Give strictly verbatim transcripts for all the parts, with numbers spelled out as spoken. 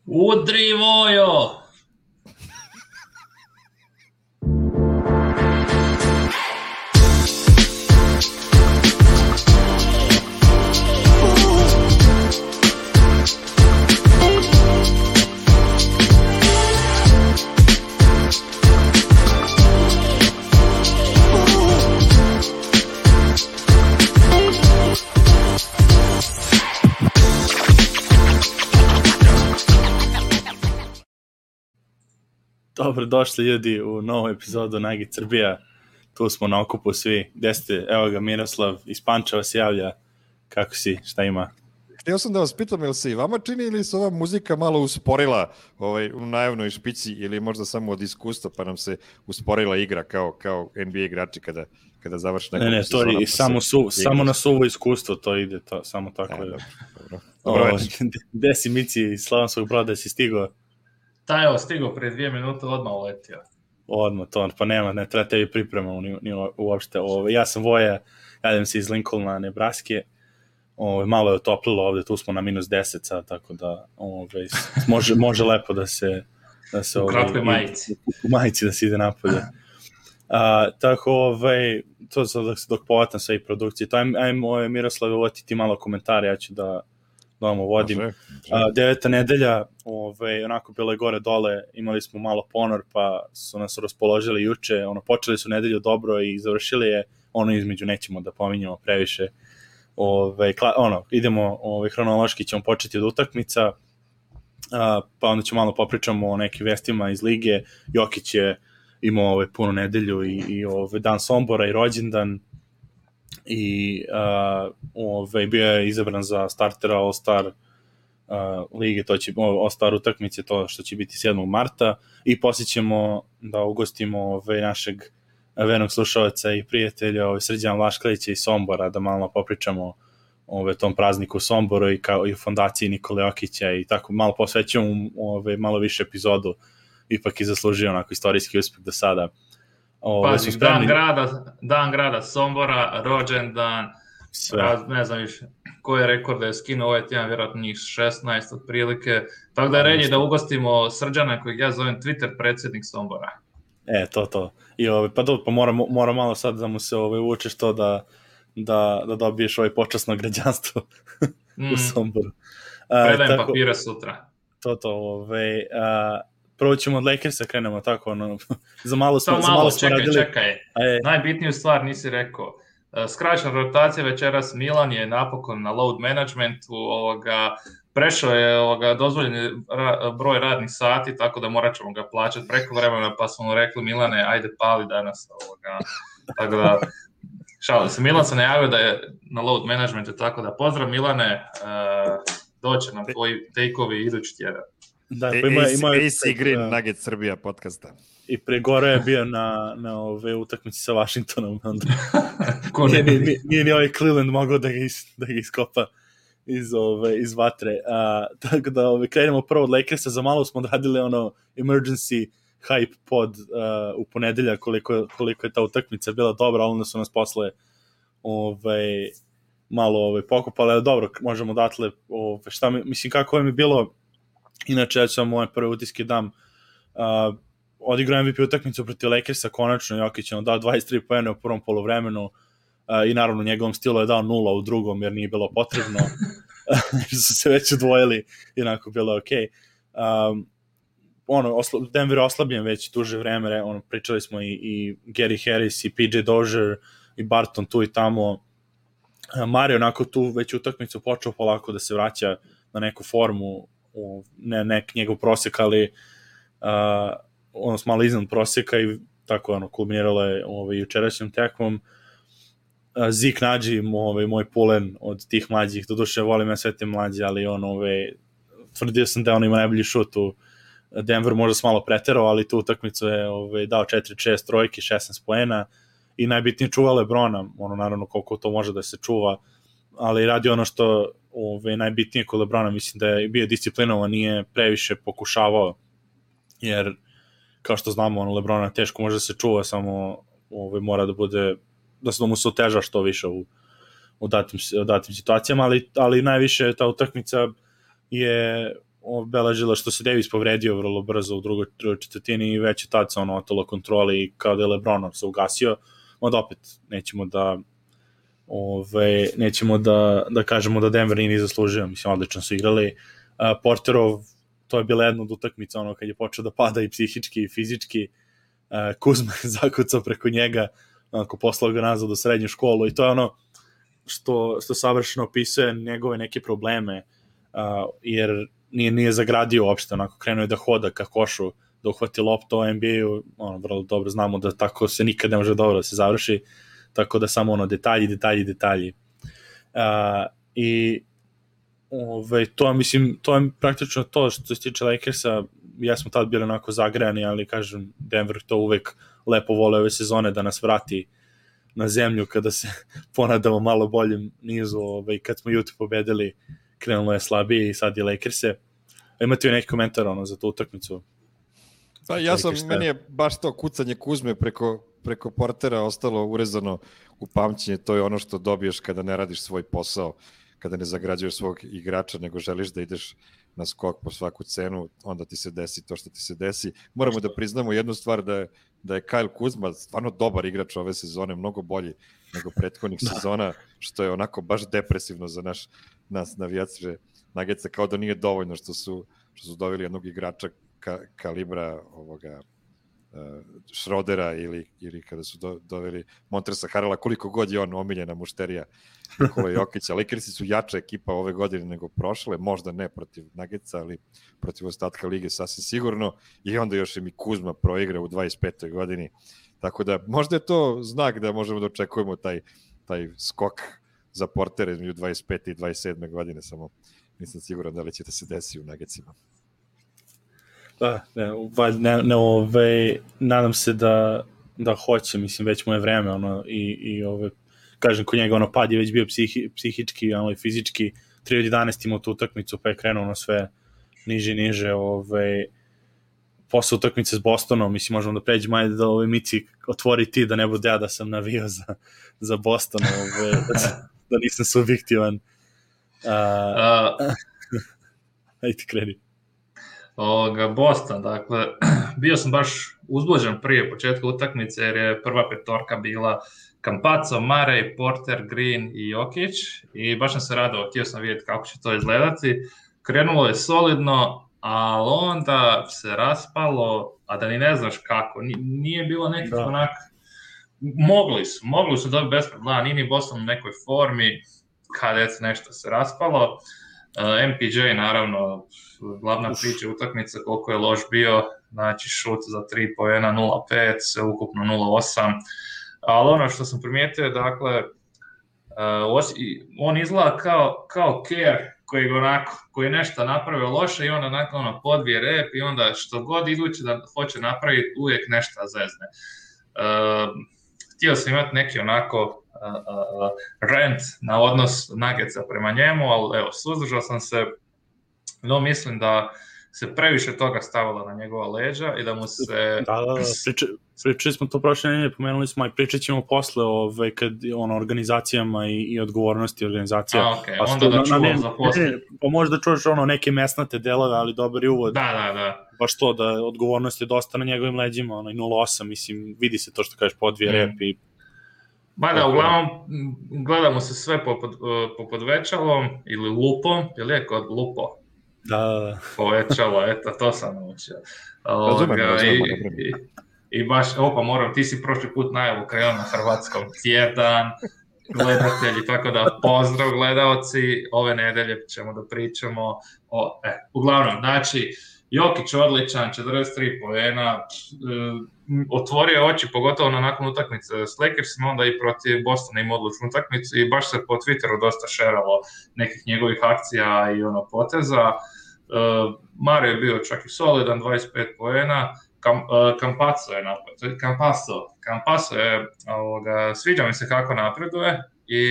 Udri Vojo! Dobro došli ljudi u novu epizodu Nugget Srbija. Tu smo na okupu svi. Gde ste? Evo ga Miroslav iz Pančeva se javlja. Kako si? Šta ima? Htio sam da vas pitam, jel se i vama čini ili se ova muzika malo usporila ovaj, u najavnoj špici ili možda samo od iskustva pa nam se usporila igra kao, kao N B A igrači kada, kada završi neko Ne, ne, to je samo, su, samo na suvo iskustvo to ide, to, samo tako e, je. Dobro, dobro. Dobro o, gde si Mici iz Slavonskog Broda, si stigao? Ta evo, stigao pre dvije minute, odmah uletio. Odmah, to, pa nema, ne treba tebi pripremamo ni, ni uopšte. Ove, ja sam Voja, jadim se iz Lincolna, Nebraske. Ove, malo je otoplilo ovde, tu smo na minus deset sad, tako da ove, može, može lepo da se... Da se u kratkoj majici. U, u majici da se ide napolje. A, tako, ovaj, to sad dok, dok povatam sve i produkcije. To ajmo, ajmo Miroslave, uvoti ti malo komentare, ja ću da... da vam vodim. Može, može. A, deveta nedelja, ovaj, onako bilo je gore dole, imali smo malo ponor, pa su nas raspoložili juče, ono, počeli su nedelju dobro i završili je, ono između nećemo da pominjamo previše, ovaj, kla, ono, idemo, ovaj, hronološki ćemo početi od utakmica, a, pa onda ćemo malo popričamo o nekim vestima iz lige. Jokić je imao ovaj, punu nedelju i, i ovaj, dan Sombora i rođendan, i uh, ove, bio je izabran za startera All-Star uh, lige, to će All-Star utakmice, to što će biti sedmog marta, i poslije ćemo da ugostimo ove, našeg vernog slušalca i prijatelja ove, Srđana Vlaškalića iz Sombora, da malo popričamo ove, tom prazniku u Somboru i, kao, i u fondaciji Nikole Jokića i tako malo posvećujemo ove, malo više epizodu, ipak je zaslužio onako istorijski uspeh do sada. Ove, Pazi, dan grada, dan grada Sombora, rođendan, raz, ne znam više koji je rekord da je skinuo ovaj tjedan, vjerojatno njih šesnaest otprilike, tako da je red da ugostimo Srđana kojeg ja zovem Twitter predsjednik Sombora. E, to, to. I ove, pa do, pa mora, mora malo sad da mu se ove, učeš to da, da, da dobiješ ovaj počasno građanstvo mm. u Somboru. Predajem tako, papire sutra. To, to, ove... A, prvo ćemo od Lakersa, krenemo tako, ono, za malo smo, malo, za malo smo čekaj, radili. Čekaj, čekaj, najbitniju stvar nisi rekao. Skraćena rotacija večeras, Milan je napokon na load managementu, ovoga, prešao je ovoga, dozvoljeni ra, broj radnih sati, tako da morat ćemo ga plaćati preko vremena, pa smo mu rekli, Milane, ajde pali danas. Ovoga. Tako da, šalim se, Milan se najavio da je na load managementu, tako da pozdrav Milane, uh, doće nam tvoji take-ovi idući tjedan. Da, pa ima, ima, A C Green Nugget Srbija podcasta. I pre gore je bio na, na ove utakmici sa Washingtonom. Onda. nije, nije, nije ni ovaj Cleveland mogao da ga, is, da ga iskopa iz, ove, iz vatre. A, tako da ove, krenemo prvo od Lakersa. Za malo smo odradili ono emergency hype pod uh, u ponedelja koliko, koliko je ta utakmica bila dobra, ali onda su nas posle ove, malo ove, pokupali. Ali dobro, možemo datle ove, šta mi, mislim kako je mi bilo. Inače, ja ću vam moje prve utiske dam. Uh, odigrao M V P utakmicu protiv Lakersa, konačno Jokić je dao dvadeset tri poena u prvom poluvremenu uh, i naravno njegovom stilu je dao nula u drugom jer nije bilo potrebno. su se već udvojili i onako bilo ok. Um, ono, oslo, Denver je oslabljen već duže vreme, ono, pričali smo i, i Gary Harris i P J Dozier i Barton tu i tamo. Uh, Mario onako tu već utakmicu počeo polako da se vraća na neku formu, u ne, nek njegov prosjek, ali uh, ono s malo iznad prosjeka i tako ono, kulminiralo je ovaj, jučerašnjom tekmom. Uh, Zik Nađi, ovaj, moj pulen od tih mlađih, doduše volim ja sve te mlađe, ali on, ovaj, tvrdio sam da on ima najbolji šut u Denver, možda se malo preterao, ali tu utakmicu je ovaj, dao četiri šest trojki, šesnaest poena i najbitnije čuva LeBrona, ono naravno koliko to može da se čuva, ali radi ono što ove, najbitnije kod LeBrona, mislim da je bio disciplinovan, nije previše pokušavao, jer kao što znamo, ono, LeBrona teško može da se čuva, samo ove, mora da bude, da se mu se oteža što više u, u, datim, u datim situacijama, ali, ali najviše ta utakmica je obeležila što se Davis povredio vrlo brzo u drugoj, drugoj četvrtini i već je tad se ono otelo kontroli i kao da je LeBron se ugasio, onda opet nećemo da ove, nećemo da, da kažemo da Denver nije zaslužio, mislim, odlično su igrali. Uh, Porterov, to je bila jedna od utakmica, ono, kad je počeo da pada i psihički i fizički, uh, Kuzma je zakucao preko njega, onako, poslao ga nazad u srednju školu i to je ono što, što savršeno opisuje njegove neke probleme, uh, jer nije, nije zagradio uopšte, onako, krenuo je da hoda ka košu, da uhvati loptu u N B A-u, ono, vrlo dobro znamo da tako se nikad ne može dobro da se završi, tako da samo ono, detalji, detalji, detalji. Uh, I ove, to, mislim, to je praktično to što se tiče Lakersa, ja smo tad bili onako zagrejani, ali kažem, Denver to uvek lepo vole ove sezone da nas vrati na zemlju kada se ponadamo malo boljem nizu, ove, kad smo Utah pobedili, krenulo je slabije i sad je Lakerse. Imate li neki komentar ono, za tu utakmicu? Pa ja sam, meni je baš to kucanje Kuzme preko, preko Portera ostalo urezano u pamćenje, to je ono što dobiješ kada ne radiš svoj posao, kada ne zagrađuješ svog igrača, nego želiš da ideš na skok po svaku cenu, onda ti se desi to što ti se desi. Moramo da priznamo jednu stvar, da je, da je Kyle Kuzma stvarno dobar igrač ove sezone, mnogo bolji nego prethodnih da. sezona, što je onako baš depresivno za naš, nas navijače Nuggetsa, kao da nije dovoljno što su, što su doveli jednog igrača ka, kalibra ovoga uh, Schrodera ili, ili kada su do, doveli Montrezla Harrella, koliko god je on omiljena mušterija Nikola Jokića. Lakersi su jača ekipa ove godine nego prošle, možda ne protiv Nuggetsa, ali protiv ostatka lige sasvim sigurno, i onda još im i Kuzma proigra u dvadeset petoj godini. Tako da možda je to znak da možemo da očekujemo taj, taj skok za Portera između dvadeset pete i dvadeset sedme godine, samo nisam siguran da li će da se desi u Nuggetsima. Da, ne, ne, ne ove, nadam se da, da hoće, mislim, već mu je vreme, ono, i, i ove, kažem, kod njega, ono, pad je već bio psihi, psihički, ono, i fizički, tri od jedanaest imao tu utakmicu, pa je krenuo, ono, sve niže i niže, ove, posle utakmice s Bostonom, mislim, možemo da pređemo, ajde da ove Mici otvori ti, da ne bude ja da sam navio za, za Boston, ove, da, da nisam subjektivan. Uh, uh, ajde, kreni. Ovoga, Boston, dakle, bio sam baš uzbuđen prije početka utakmice, jer je prva petorka bila Campazzo, Murray, Porter, Green i Jokić, i baš sam se radao, htio sam vidjeti kako će to izgledati. Krenulo je solidno, ali onda se raspalo, a da ni ne znaš kako, nije bilo nekih onak, mogli su, mogli su dobiti bez problema, nije ni Boston u nekoj formi, kad je nešto se raspalo. M P J, naravno, glavna priča utakmica, koliko je loš bio, znači šut za tri poena nula pet, sve ukupno nula osam, ali ono što sam primijetio, dakle, on izgleda kao, kao Kerr, koji, onako, koji je nešto napravio loše i onda onako ono, podvije rep i onda što god idući da hoće napraviti, uvijek nešto zezne. Uh, htio sam imati neki onako Uh, uh, rant na odnos Nuggetsa prema njemu, ali evo, suzdržao sam se, no mislim da se previše toga stavilo na njegova leđa i da mu se... Da, da, da, Priči, pričali smo to prošle nedelje, pomenuli smo, i pričat ćemo posle ove, kad, ono, organizacijama i, i odgovornosti organizacija. A, okej, okay. Onda da čuvam za posle. Pa možda čuješ ono, neke mesnate delove, ali dobar je uvod. Da, da, da. Baš to, da odgovornost je dosta na njegovim leđima, ono, nula osam, mislim, vidi se to što kažeš, podvije mm. rep i Ma da, uglavnom, gledamo se sve popod, popod večalom ili lupom, je li je kod lupo? Da, da, da. Povećalo, eto, to sam naučio. Razumem, razumem. I, i, I baš, opa, moram, ti si prošli put najavu krenuo na hrvatskom, tjedan, gledatelji, tako da pozdrav gledaoci, ove nedelje ćemo da pričamo o, e, uglavnom, znači, Jokić odličan, četrdeset tri poena, otvorio oči, pogotovo na nakon utakmice s Lakersima, onda i protiv Bostona ima odlučnu utakmicu i baš se po Twitteru dosta šeralo nekih njegovih akcija i ono poteza. Uh, Mario je bio čak i solidan, dvadeset pet poena, Kam, uh, Campazzo je napad, Campazzo, Campazzo je, ovoga, sviđa mi se kako napreduje i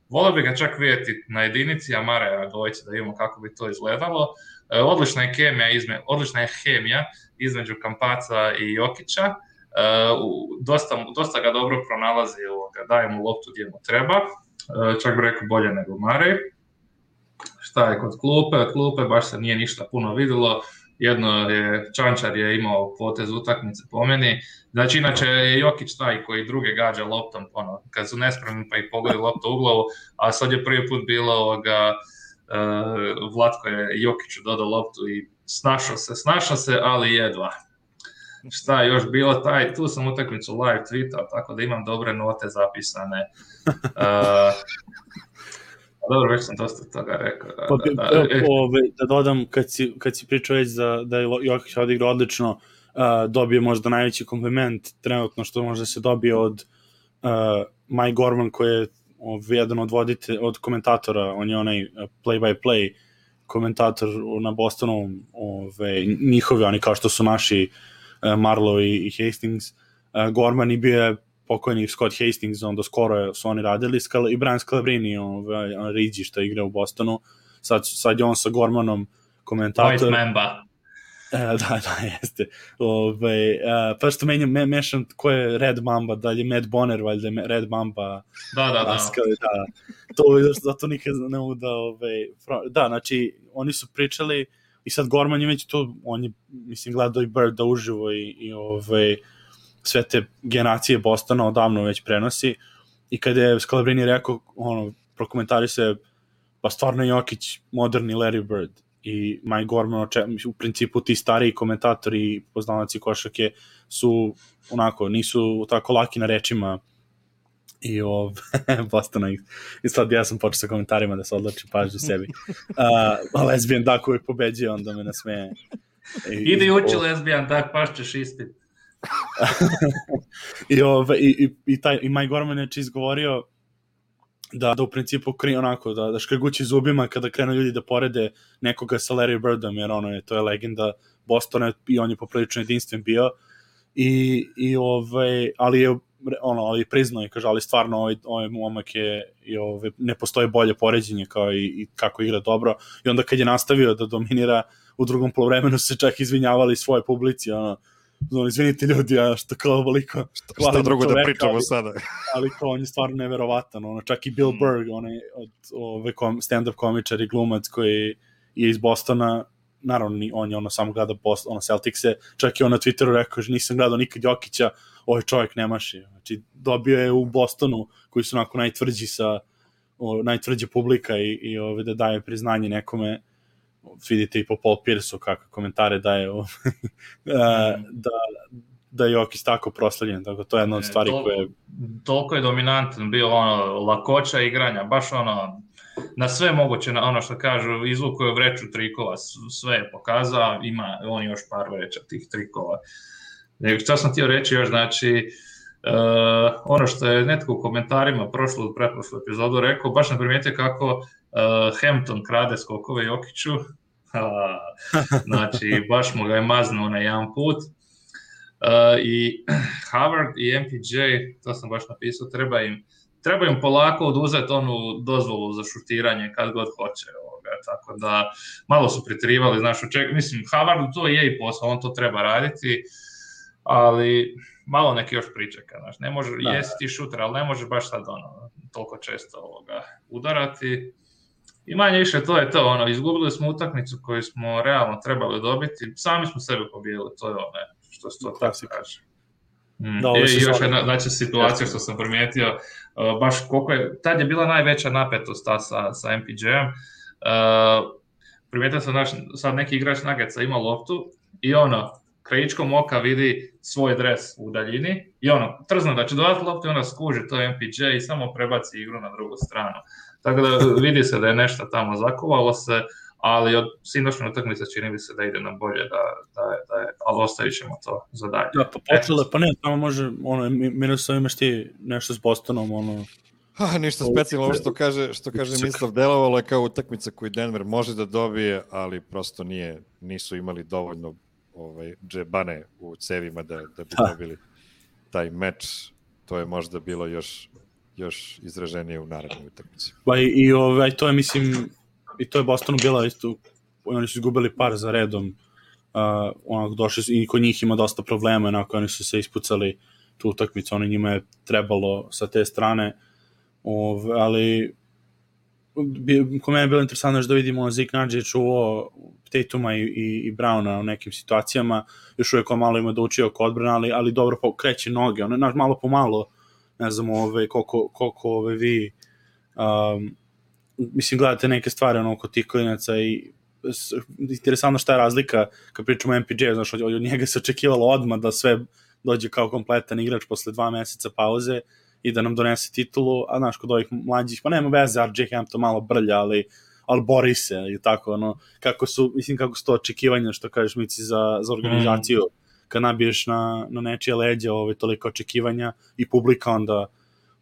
volio bi ga čak vidjeti na jedinici, a Mario na dvojici da imamo kako bi to izgledalo. Odlična je kemija, izme, odlična je hemija između Campazza i Jokića. Uh, dosta, dosta ga dobro pronalazi, daje mu loptu gdje mu treba. Uh, čak bi rekao bolje nego Murray. šta je kod klupe, od klupe baš se nije ništa puno vidjelo, jedno je, Čančar je imao potez utakmice po meni, znači inače je Jokić taj koji druge gađa loptom, ono, kad su nespremni pa ih pogodi loptu u glavu, a sad je prvi put bilo ovoga, uh, Vlatko je Jokiću dodao loptu i snašao se, snašao se, ali jedva. Šta je još bilo, taj, tu sam utakmicu live tweetao, tako da imam dobre note zapisane. Uh, Dobro, već sam dosta toga rekao. Da, pa, da, da, e, ove, da dodam, kad si, kad si pričao već da, da je Jokić odigrao odlično, uh, dobio možda najveći kompliment trenutno što može se dobije od uh, Mike Gorman, koji je ove, jedan od vodite, od komentatora, on je onaj play-by-play komentator na Bostonu, ove, njihovi, oni kao što su naši uh, Marlowe i, i Hastings. Uh, Gorman i bio je pokojni Scott Hastings, onda skoro su oni radili, i Brian Scalabrine, ovaj, Rigi što igra u Bostonu, sad, sad je on sa Gormanom komentator. White Mamba. E, da, da, jeste. Ove, a, pa što menjam, me, mešam ko je Red Mamba, da li je Matt Bonner, valjda je Red Mamba. Da, da, da. Askali, da. To, zato nikad ne mogu da, ove, da, znači, oni su pričali i sad Gorman je već to, on je, mislim, gledao i Birda uživo i, i ove, sve te generacije Bostona odavno već prenosi i kada je Scalabrini rekao, ono, prokomentari se, pa stvarno Jokić moderni Larry Bird i Mike Gorman, u principu ti stariji komentatori i poznavaci košarke su onako, nisu tako laki na rečima i ov, Bostona i sad ja sam počeo sa komentarima da se odlači pažnju sebi. Uh, lesbian Duck uvijek pobeđuje, onda me nasmeje. I, Idi uči lesbian Duck, pašćeš ispit. I, ove, i, i, i, taj, i Mike Gorman je izgovorio da, da u principu kri, onako, da, da škrgući zubima kada krenu ljudi da porede nekoga sa Larry Birdom, jer ono je, to je legenda Bostona i on je poprilično jedinstven bio i, i ove, ali je ono, ali priznao i kaže, ali stvarno ovaj, ovaj momak je i ove, ne postoji bolje poređenje kao i, i kako igra dobro i onda kad je nastavio da dominira u drugom poluvremenu se čak izvinjavali svoje publici, ono, ono, izvinite ljudi, a što kao veliko šta, šta drugo da pričamo ali, sada ali kao on je stvarno neverovatan, ono, čak i Bill mm. Burr, onaj od ove kom, stand-up komičar i glumac koji je iz Bostona, naravno on je ono samo gleda Boston, ono Celticse, čak i on na Twitteru rekao, že nisam gledao nikad Jokića, ovaj čovjek ne maši, znači dobio je u Bostonu koji su onako najtvrđi sa o, najtvrđa publika i, i ove, da daje priznanje nekome. Vidite i po Paul Pierce-u kakve komentare daje o, da, da je Jokić tako proslavljen, tako to je jedna od stvari e, to, koje... Toliko je dominantan bio ono, lakoća igranja, baš ono, na sve moguće, na ono što kažu, izvukuje vreću trikova, sve je pokazao, ima on još par vreća tih trikova. Što sam htio reći još, znači, uh, ono što je netko u komentarima prošlu, pretprošlu epizodu rekao, baš sam primijetio kako uh, Hampton krade skokove Jokiću, znači, baš mu ga je maznuo na jedan put. Uh, I Howard i M P J, to sam baš napisao, treba im, treba im polako oduzeti onu dozvolu za šutiranje kad god hoće. Ovoga, tako da malo su pritrivali, znaš, ček, mislim, Howardu to je i posao, on to treba raditi, ali malo neki još pričeka, znaš, ne može, da. Jesi ti šuter, ali ne može baš sad ono, toliko često ovoga udarati. I manje više to je to, ono, izgubili smo utakmicu koju smo realno trebali dobiti, sami smo sebe pobijeli, to je ono, što se to tako kaže. Mm. Da, I još jedna znači, situacija što sam primijetio, uh, baš koliko je, tad je bila najveća napetost ta sa, sa M P J-em, uh, primijetio sam naš, sad neki igrač Nuggetsa ima loptu i ono, krajičkom oka vidi svoj dres u daljini i ono, trzno da će dodati loptu i onda skuži to M P J i samo prebaci igru na drugu stranu. Tako da vidi se da je nešto tamo zakovalo se, ali od sinoćne utakmice čini mi se da ide na bolje, da, da, da je, ali ostavit ćemo to za dalje. Da, pa počelo, pa ne, tamo može, ono, minusov imaš ti nešto s Bostonom, ono... Ha, ništa specijalno, ovo što kaže, što kaže Mislav, delovalo je kao utakmica koju Denver može da dobije, ali prosto nije, nisu imali dovoljno ovaj, džebane u cevima da, da bi dobili taj meč. To je možda bilo još, još izraženije u narednoj utakmici. Pa i, i ovaj, to je, mislim, i to je Bostonu bila isto, oni su izgubili par za redom, uh, onako došli i kod njih ima dosta problema, onako oni su se ispucali tu utakmicu, oni njima je trebalo sa te strane, Ove, ali ko mene je bilo interesantno da vidimo Zik Nađe čuo Tatuma i, i, i Browna u nekim situacijama, još uvijek on malo ima da uči oko odbrana, ali, ali dobro kreće noge, ono, malo po malo, ne znam ove, koliko, koliko ove vi um, mislim gledate neke stvari ono, oko tih klinaca i interesantno šta je razlika kad pričamo o M P J, znaš, od, od njega se očekivalo odmah da sve dođe kao kompletan igrač posle dva meseca pauze i da nam donese titulu, a znaš, kod ovih mlađih, pa nema veze, R J Hampton malo brlja, ali, ali bori se i tako, ono, kako su, mislim, kako su to očekivanja, što kažeš, Mici, za, za organizaciju, mm. kad nabiješ na, na nečije leđe ove, toliko očekivanja i publika onda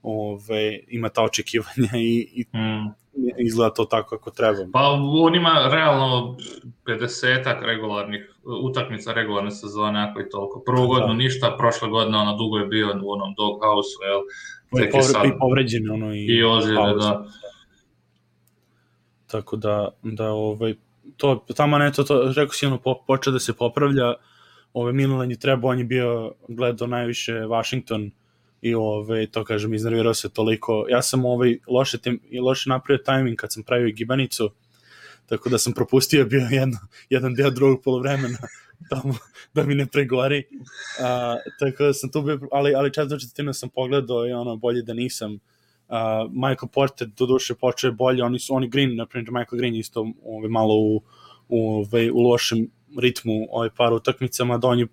ove, ima ta očekivanja i, i mm. izgleda to tako kako treba. Pa on ima realno pedesetak regularnih utakmica regularne sezone, ako i toliko. Prvu godinu ništa, prošle godine ono dugo je bio u onom doghouse-u, jel? I, povre, sad... i povređen, ono, i, i ozljede, da. Tako da, da ovaj, to, tamo ne, to, to rekao si, ono, po, počeo da se popravlja, ovaj, Milan je trebao, on je bio, gledao najviše Washington, i ove, to kažem, iznervirao se toliko. Ja sam ovaj, loše, tem, loše napravio tajming kad sam pravio gibanicu, tako da sam propustio bio jedno, jedan deo drugog polovremena tamo da mi ne pregori. A, tako da sam tu bio, ali, ali četvrtu četvrtinu sam pogledao i ono, bolje da nisam. A, Michael Porter do duše počeo bolje, oni su, oni Green, na primjer Michael Green isto ovaj, malo u, u, ovaj, u lošem ritmu ovaj, par utakmicama, da on je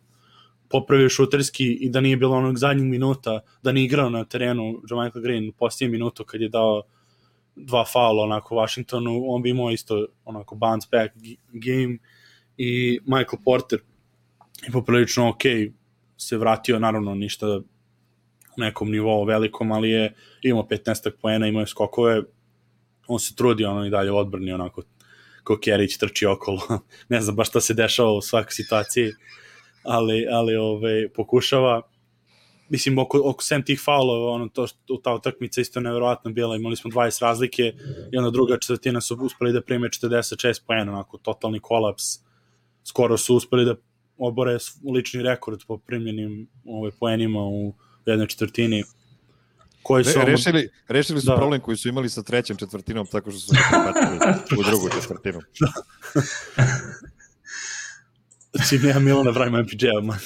popravio šuterski i da nije bilo onog zadnjeg minuta, da nije igrao na terenu Michael Green u posljednjem minutu kad je dao dva faula onako Washingtonu, on bi imao isto onako bounce back game i Michael Porter je poprilično ok se vratio, naravno ništa u nekom nivou velikom, ali je imao petnaest poena, imao je skokove, on se trudi ono i dalje u odbrani onako ko Kerić trči okolo, ne znam baš šta se dešava u svakoj situaciji, ali, ali ove, pokušava, mislim, oko, oko sem tih faulova, ono, to, ta utakmica isto nevjerovatno bila, imali smo dvadeset razlike i onda druga četvrtina su uspeli da prime četrdeset šest poena, onako, totalni kolaps, skoro su uspeli da obore lični rekord po primljenim ove, poenima u jednoj četvrtini. Koji su Re, rešili, rešili su da. problem koji su imali sa trećom četvrtinom, tako što su se prebacili u drugu četvrtinu. Čim ja Milana pravimo M P J-a, man.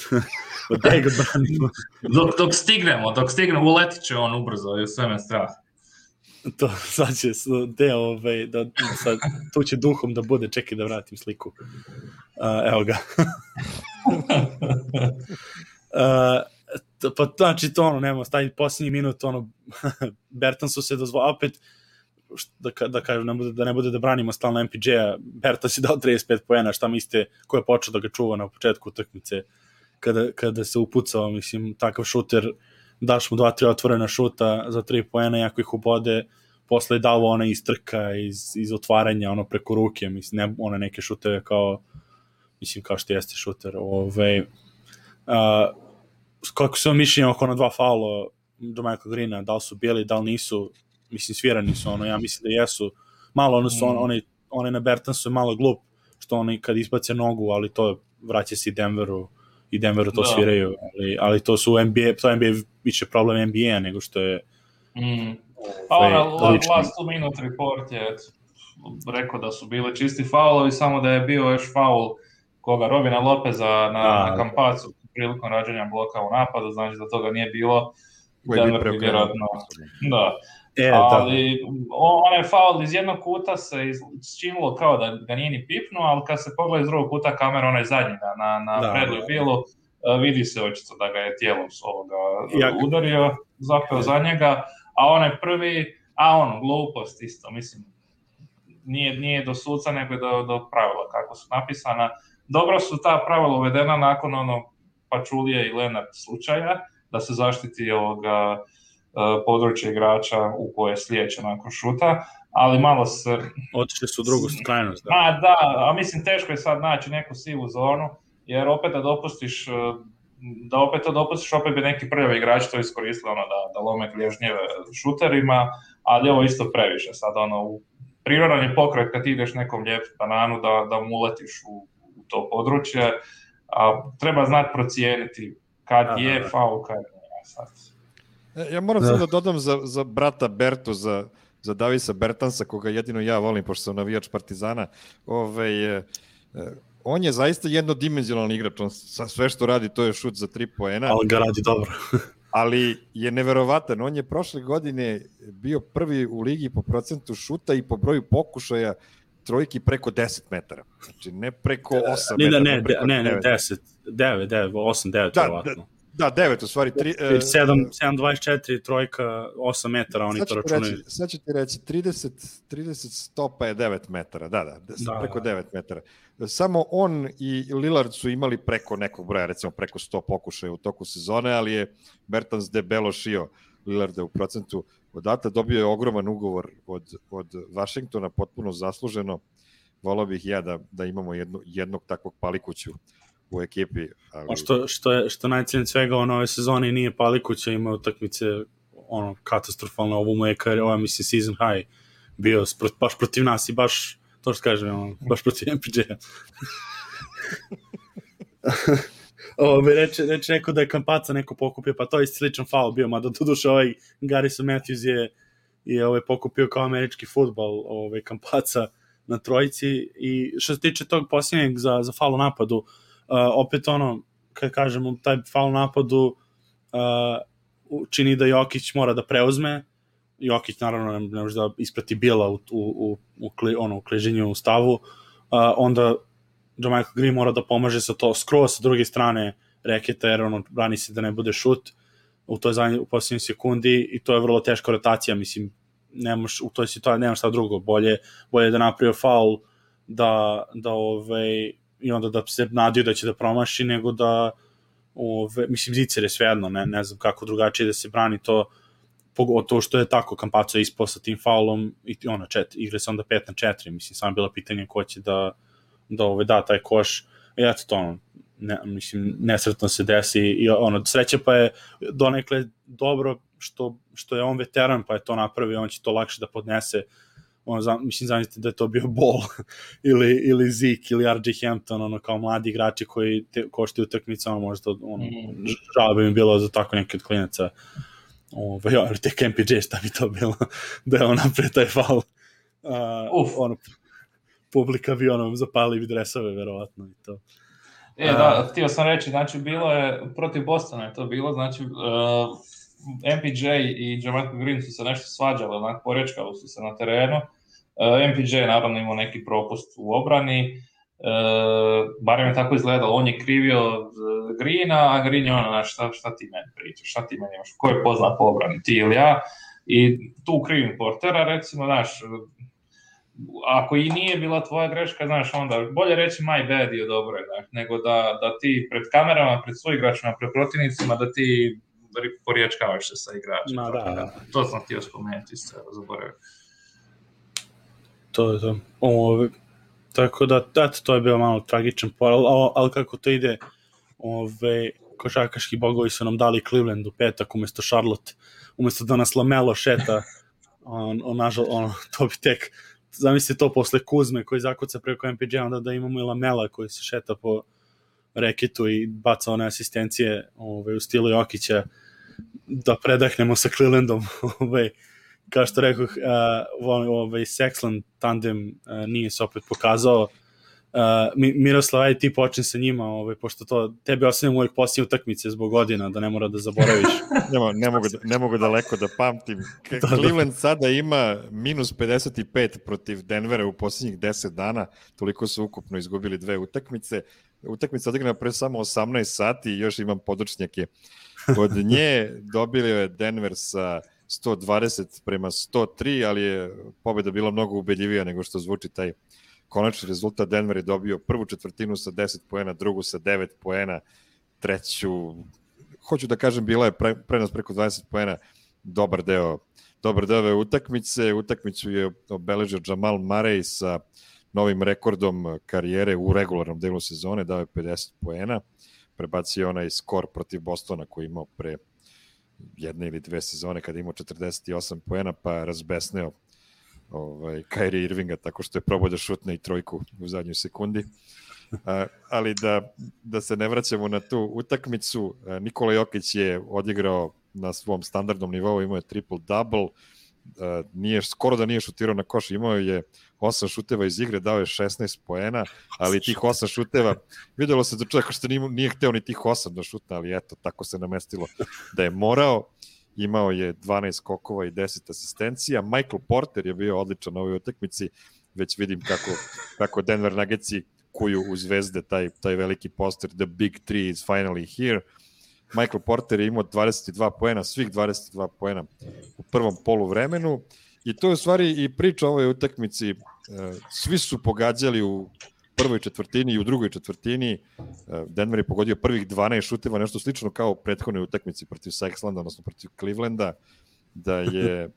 Da ga branimo. Dok, dok stignemo, dok stignemo, uletit će on ubrzo i sve me strah. To, sad će, de, ove, da, sad, tu će duhom da bude, čekaj da vratim sliku. Uh, evo ga. uh, pa znači to ono, nema, stavi posljednji minut, ono, Bertansu se dozvolio, opet, da, da kažem, ne bude, da ne bude da branimo stalno M P J-a, Bertas je dao trideset pet poena, šta mislite, ko je počeo da ga čuva na početku utakmice, kada, kada se upucao, mislim, takav šuter, daš mu dva, tri otvorena šuta za tri poena, jako ih ubode, posle je dao ona iz trka, iz, iz otvaranja, ono preko ruke, mislim, ne, one neke šuteve kao, mislim, kao što jeste šuter, ove, uh, kako se vam mišljenje oko ona dva faula do Michael Greena, da li su bili, da li nisu, mislim, svirani su, ono, ja mislim da jesu, malo ono su, on, one, one na Bertansu je malo glup, što oni kad izbace nogu, ali to vraća se i Denveru, i Denveru to da. sviraju, ali, ali to su N B A, to N B A više problem N B A nego što je mm. A ona, last two minute report je rekao da su bile čisti faulovi, samo da je bio još faul koga, Robina Lopeza na, A, na Kampacu prilikom rađenja bloka u napadu, znači da toga nije bilo, Denver bi vjerojatno, da. E, ali onaj faul iz jednog kuta se činilo kao da ga nije ni pipnuo, ali kad se pogleda iz drugog kuta kamera, onaj zadnji na, na Bradley Billu, vidi se očito da ga je tijelom ovoga Jak. udario, zapeo za njega, a onaj prvi, a ono, glupost isto, mislim, nije, nije do suca, nego do, do pravila kako su napisana. Dobro su ta pravila uvedena nakon ono Pačulije i Lenard slučaja, da se zaštiti ovoga područje igrača u koje slijeće nakon šuta, ali malo se... Otišli su u drugu krajnost. Da. A, da, a mislim teško je sad naći neku sivu zonu, jer opet da dopustiš, da opet to dopustiš, opet bi neki prvi igrač to iskoristili, ono, da, da lome klježnjeve šuterima, ali ovo isto previše sad, ono, u prirodan je pokret kad ideš nekom lijep bananu da, da mu uletiš u, u to područje, a treba znati procijeniti kad Aha. je faul, kad je sad. Ja moram sad da dodam za, za brata Bertu, za za Davisa Bertansa, koga jedino ja volim, pošto sam navijač Partizana, ovaj, e, on je zaista jednodimenzionalni igrač, on sve što radi to je šut za tri poena. Ali ga radi dobro. Ali je neverovatan, on je prošle godine bio prvi u ligi po procentu šuta i po broju pokušaja trojki preko deset metara. Znači ne preko osam ne, metara. Ne, ne, ne, ne, deset, devet, devet, osam, devet, verovatno. Da, devet, u stvari. sedam dvadeset četiri, trojka, osam metara, oni to računaju. Sad ću ti reći, trideset, trideset stopa je devet metara, da, da, da preko da. devet metara. Samo on i Lillard su imali preko nekog broja, recimo preko sto pokušaja u toku sezone, ali je Bertans debelo šio Lillarda u procentu. Odatle dobio je ogroman ugovor od, od Vašingtona, potpuno zasluženo. Volao bih ja da, da imamo jedno, jednog takvog palikuću u ekipi. Ali... Što, što, je, što najcijenije svega on ove sezone nije palikuća, ima utakmice ono, katastrofalno, ovo mu je kar, ovo mislim season high bio baš protiv nas i baš, to što kažem, ono, baš protiv M P J-a. Ovo bi reče, reče neko da je Kampaca neko pokupio, pa to je sličan faul bio, mada doduše ovaj Garrison Matthews je, je ovaj pokupio kao američki fudbal ovaj Kampaca na trojici. I što se tiče tog posljednjeg za, za faul u napadu, uh, opet ono, kad kažemo taj faul u napadu uh, čini da Jokić mora da preuzme. Jokić naravno ne, ne može da isprati Bila u, u, u, u, kli, ono, u kliženju u stavu, uh, onda Michael Green mora da pomaže sa to skroz sa druge strane reketa, jer ono, brani se da ne bude šut u toj zadnjoj, u posljednjoj sekundi i to je vrlo teška rotacija, mislim, nemaš, u toj situaciji nemaš šta drugo, bolje, bolje da napravio faul da, da ovaj, i onda da se nadiju da će da promaši, nego da ove, mislim, Zicer je svejedno, ne, ne znam kako drugačije da se brani to, pogotovo što je tako, Campazzo je ispao sa tim faulom i ona čet, igre se onda pet na četiri, mislim, samo bilo pitanje ko će da da ove, da taj koš, i eto to ono, ne, mislim, nesretno se desi i ono, sreće pa je donekle dobro što, što je on veteran, pa je to napravio, on će to lakše da podnese, ono, za, mislim, zamislite da je to bio Ball ili, ili Zeke ili R J Hampton, ono, kao mladi igrači koji te, koštaju utakmice, ono, možda, ono, mm. žao bi mi bilo za tako neki od klinaca, ovo, ja, tek M P J, šta bi to bilo, da je on napred taj faul, uh, ono, publika bi ono zapali dresove, verovatno i to. E, da, htio sam reći, znači bilo je, protiv Bostona je to bilo, znači uh, M P J i Jermichael Green su se nešto svađali, onako porečkali su se na terenu. Uh, M P J naravno imao neki propust u obrani, uh, barem je tako izgledalo, on je krivio Greena, a Green je ono, znači šta, šta ti meni pričaš, šta ti meni imaš, ko je poznat po obrani, ti ili ja, i tu krivim Portera, recimo, znaš, ako i nije bila tvoja greška, znaš, onda bolje reći my bad je dobro, znaš, nego da, da ti pred kamerama, pred suigračima, pred protivnicima, da ti poriječkavaš se sa igračima. Da, da, da. To sam htio spomenuti, ste zaboravio. To je to. Ove, tako da, eto, to je bio malo tragičan poral, ali, ali kako to ide, ove, košarkaški bogovi su nam dali Cleveland u petak umesto Charlotte, umesto da nas Lamelo šeta, on, on, nažal, on, to bi tek zamislite to posle Kuzme koji zakuca preko M P J, onda da imamo i Lamela koji se šeta po reketu i baca one asistencije ove, u stilu Jokića, da predahnemo sa Clevelandom. Ove, kao što rekao, uh, ovaj Sexland tandem uh, nije se opet pokazao. Uh, Miroslav, ajde ti počne sa njima, ovaj, pošto to tebi ostavljamo uvijek poslije utakmice zbog godina, da ne mora da zaboraviš. ne, ne, mogu, ne mogu daleko da pamtim. Cleveland sada ima minus pedeset pet protiv Denvera u posljednjih deset dana, toliko su ukupno izgubili dve utakmice. Utakmica odigrana pre samo osamnaest sati i još imam podočnjake. Od nje dobili je Denver sa sto dvadeset prema sto tri, ali je pobjeda bila mnogo ubedljivija nego što zvuči taj konačni rezultat. Denver je dobio prvu četvrtinu sa deset poena, drugu sa devet poena, treću, hoću da kažem, bila je pre, prenos preko dvadeset poena, dobar deo, dobar deo ove utakmice. Utakmicu je obeležio Jamal Murray sa novim rekordom karijere u regularnom delu sezone, dao je pedeset poena, prebacio onaj skor protiv Bostona koji imao pre jedne ili dve sezone kada imao četrdeset osam poena, pa razbesneo ovaj, Kyrie Irvinga tako što je probao da šutne i trojku u zadnjoj sekundi. A, ali da, da se ne vraćamo na tu utakmicu, Nikola Jokić je odigrao na svom standardnom nivou, imao je triple-double, nije, skoro da nije šutirao na koš, imao je osam šuteva iz igre, dao je šesnaest poena, ali tih osam šuteva, videlo se da čovjek što nije, nije hteo ni tih osam da šutne, ali eto, tako se namestilo da je morao. Imao je dvanaest skokova i deset asistencija. Michael Porter je bio odličan na ovoj utakmici, već vidim kako, kako Denver Nuggetsi kuju u zvezde taj, taj veliki poster The Big Three is finally here. Michael Porter je imao dvadeset dva poena, svih dvadeset dva poena u prvom poluvremenu i to je u stvari i priča o ovoj utakmici. Svi su pogađali u prvoj četvrtini i u drugoj četvrtini. Denver je pogodio prvih dvanaest šuteva, nešto slično kao u prethodnoj utakmici protiv Sexlanda, odnosno protiv Clevelanda, da je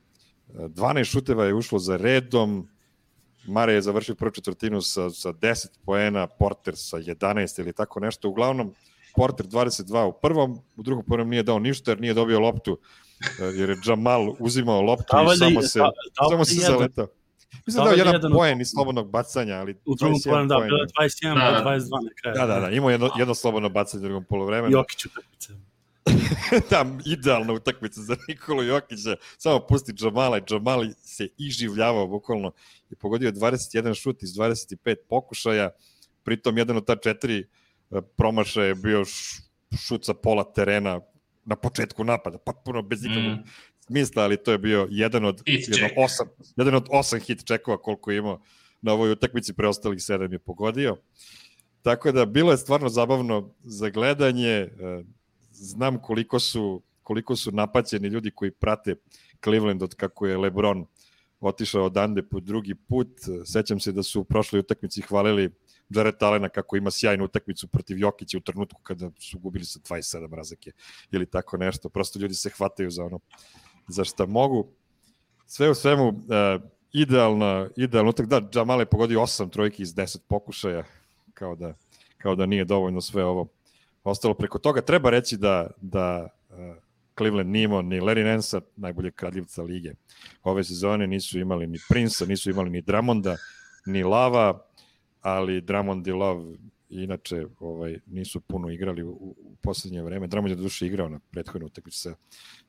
dvanaest šuteva je ušlo za redom. Mare je završio prvu četvrtinu sa, sa deset poena, Porter sa jedanaest ili tako nešto. Uglavnom, Porter dvadeset dva u prvom, u drugom prvom nije dao ništa jer nije dobio loptu, jer je Jamal uzimao loptu da, i samo se, da, da, samo se zaletao. Mislim da je jedan, jedan poen iz slobodnog bacanja, ali u drugom polovremenu da, bilo dvadeset jedan do dvadeset dva na kraju. Da, da, da, imao jedno, jedno slobodno bacanje u drugom poluvremenu. Jokić utakmica. Da, idealna utakmica za Nikolu Jokića, samo pusti Jamala i Jamal se iživljavao bukvalno i pogodio dvadeset jedan šut iz dvadeset pet pokušaja, pritom jedan od ta četiri promašaja je bio šut sa pola terena na početku napada, potpuno bez ikakvog mm. smisla, ali to je bio jedan od, jedan, osam, jedan od osam hit čekova koliko je imao na ovoj utakmici, preostalih sedam je pogodio. Tako da bilo je stvarno zabavno za gledanje. Znam koliko su, koliko su napaćeni ljudi koji prate Cleveland od kako je LeBron otišao odande po drugi put. Sećam se da su u prošloj utakmici hvalili Jared Allena kako ima sjajnu utakmicu protiv Jokića u trenutku kada su gubili sa dvadeset sedam razlike ili tako nešto. Prosto ljudi se hvataju za ono za šta mogu. Sve u svemu, uh, idealna, idealno utak. Da, Jamal je pogodio osam trojki iz deset pokušaja, kao da, kao da nije dovoljno sve ovo ostalo preko toga. Treba reći da, da uh, Cleveland nije imao ni Larry Nance, najboljeg kradljivca lige. Ove sezone nisu imali ni Prince, nisu imali ni Drummonda, ni Lava, ali Drummond i Love inače ovaj, nisu puno igrali u, u poslednje vreme. Drummond je do duše igrao na prethodnu utakmicu sa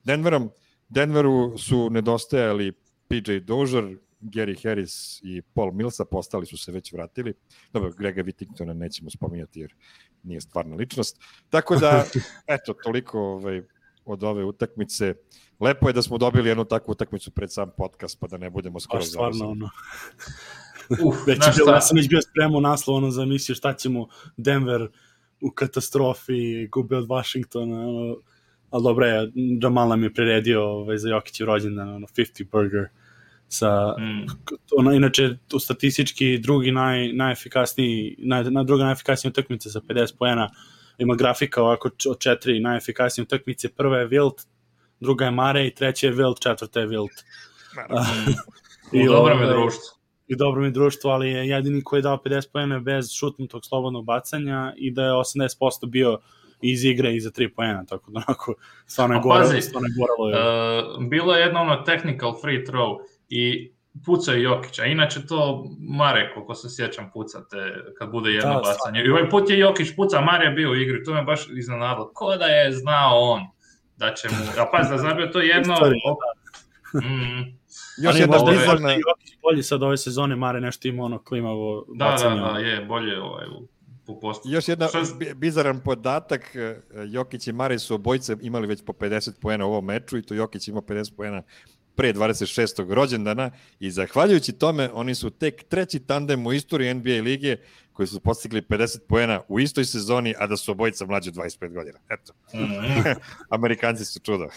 Denverom. Denveru su nedostajali P J Dozier, Gary Harris i Paul Millsa, postali su se već vratili. Dobro, Grega Whittingtona nećemo spominjati jer nije stvarna ličnost. Tako da, eto, toliko ovaj, od ove utakmice. Lepo je da smo dobili jednu takvu utakmicu pred sam podcast, pa da ne budemo skoro završeni. Stvarno, ono. Uf, već je bilo, ja sam već bio spremao naslov, ono, za emisiju šta ćemo Denver u katastrofi, gube od Washingtona, ono, ali dobro je, Jamal nam je priredio ovaj, za Jokićev rođendan, ono, pedeset burger, sa, mm. ono, inače, u statistički drugi naj, najefikasniji, naj, na druga najefikasnija utakmica sa pedeset poena, ima grafika ovako od četiri najefikasnije utakmice, prva je Wilt, druga je Mare i treća je Wilt, četvrta je Wilt. I dobro mi društvo. I dobro mi društvo, ali je jedini koji je dao pedeset poena bez šutnutog slobodnog bacanja i da je osamdeset posto bio iz igre i za tri poena, tako da onako stvarno je goralo. Stvarno je goralo je. Uh, bilo je jedno ono technical free throw i pucao je Jokića, inače to Mare, koliko se sjećam, pucate kad bude jedno da, bacanje. I ovaj put je Jokić pucao, Mare je bio u igri, to me baš iznenadilo. Ko da je znao on da će mu... A pazi, da zabio to jedno... Mm. Još ali jedna bizarna... Jokić bolji sad ove sezone, Mare nešto ima ono klimavo da, bacanje. Da, da, je, bolje ovaj, u postu. Još jedna bizaran podatak, Jokić i Mare su obojice imali već po pedeset poena u ovom meču i to Jokić ima pedeset poena pre dvadeset šestog rođendana i zahvaljujući tome oni su tek treći tandem u istoriji N B A lige koji su postigli pedeset poena u istoj sezoni, a da su obojica mlađe od dvadeset pet godina. Eto. Mm-hmm. Amerikanci su čudo.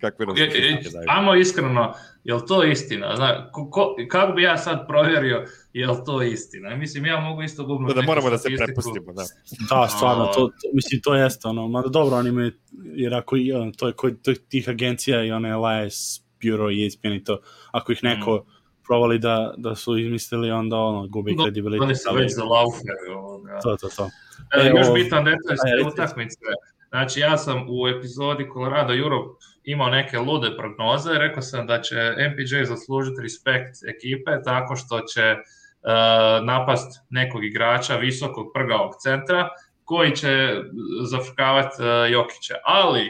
Kakve nam se daju. Amo iskreno, je li to istina? Zna, ko, ko, kako bi ja sad provjerio je li to istina? Mislim, ja mogu isto gubnuti da, da moramo da se prepustimo. Da, da stvarno, to, to, mislim, to jeste. Ono, mada dobro, oni imaju, jer ako to je kod tih agencija i one L I S Bureau i E S P N i to, ako ih neko mm. provali da, da su izmislili, onda ono, gubi kredibilitet. Oni su već za laufer. To, to, to. E, još bitan detalj ste utakmice. Znači, ja sam u epizodi Colorado Europe imao neke lude prognoze, rekao sam da će M P J zaslužiti respekt ekipe tako što će uh, napast nekog igrača visokog prgavog centra koji će zafrkavati uh, Jokića. Ali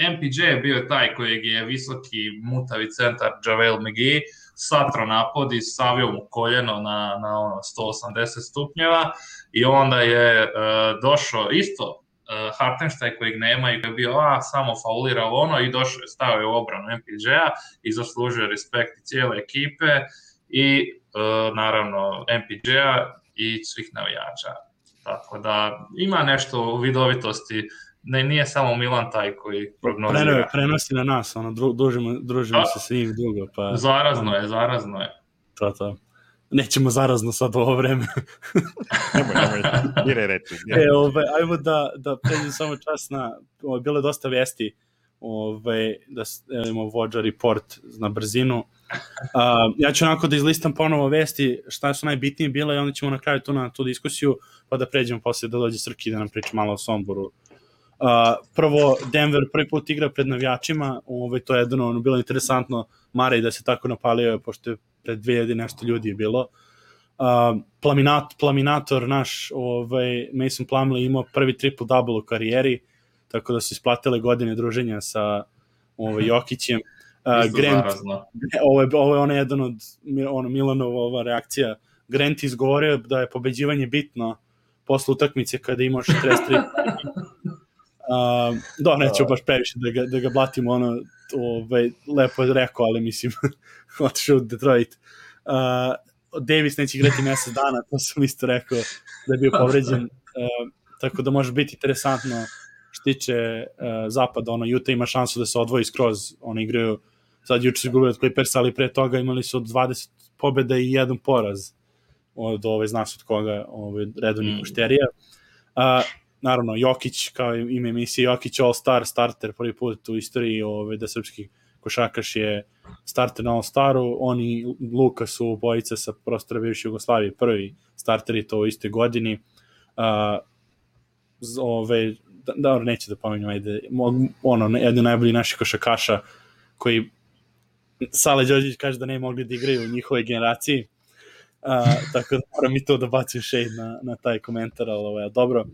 M P J je bio taj kojeg je visoki mutavi centar JaVale McGee satro napod i stavio mu koljeno na, na ono sto osamdeset stupnjeva i onda je uh, došao isto uh, Hartenstein kojeg nema i koji je bio a, samo faulirao ono i došao je, stavio u obranu M P J-a i zaslužio respekt cijele ekipe i uh, naravno M P J-a i svih navijača. Tako da ima nešto u vidovitosti. Ne, nije samo Milan taj koji prognozira. Preno, prenosi na nas, ono, dru, družimo, družimo se s njim dugo. Pa, zarazno je, zarazno je. To, to. Nećemo zarazno sad u ovo vreme. nemoj, nemoj,ire reći. E, ove, ajmo da, da pređem samo čas na, ove, bilo je dosta vesti, ove, da imamo vođa report na brzinu. Uh, ja ću onako da izlistam ponovo vesti šta su najbitnije bile i onda ćemo na kraju tu na tu diskusiju, pa da pređemo posle da dođe Srki da nam priča malo o Somboru. Uh, prvo, Denver prvi put igra pred navijačima, ovaj, to je jedno ono, bilo interesantno, Marej da se tako napalio, pošto je pred dve hiljade nešto ljudi je bilo. Uh, Plaminat, Plaminator naš, ovaj, Mason Plumlee imao prvi triple-double u karijeri, tako da su isplatile godine druženja sa ovaj, Jokićem. Uh, Grant, ovo je, ovo je ono jedan od ono, Milanova ova reakcija. Grant izgovorio da je pobeđivanje bitno posle utakmice kada imaš šezdeset tri. Uh, da, neću baš previše da ga, da ga blatimo, ono, ovaj, lepo je rekao, ali mislim, otišao u Detroit. Uh, Davis neće igrati mesec dana, to sam isto rekao da je bio povređen, uh, tako da može biti interesantno što tiče uh, zapada, ono, Utah ima šansu da se odvoji skroz, oni igraju, sad juče su izgubili od Clippersa, ali pre toga imali su od dvadeset pobjeda i jedan poraz od ove, zna se od koga, ove, redovnih mm. pošterija. Uh, Naravno, Jokić, kao ime emisije, Jokić All-Star, starter prvi put u istoriji ove, da srpski košarkaš je starter na All-Staru, oni Luka su obojica sa prostora bivše Jugoslavije, prvi starteri to u istoj godini. Uh, ove, da, da, neću da pomenjam, ajde, ono, jedni najbolji naših košarkaša koji Sale Đorđević kaže da ne mogli da igraju u njihovoj generaciji, uh, tako da moram i to da bacim shade na, na taj komentar, ali ovo je dobro.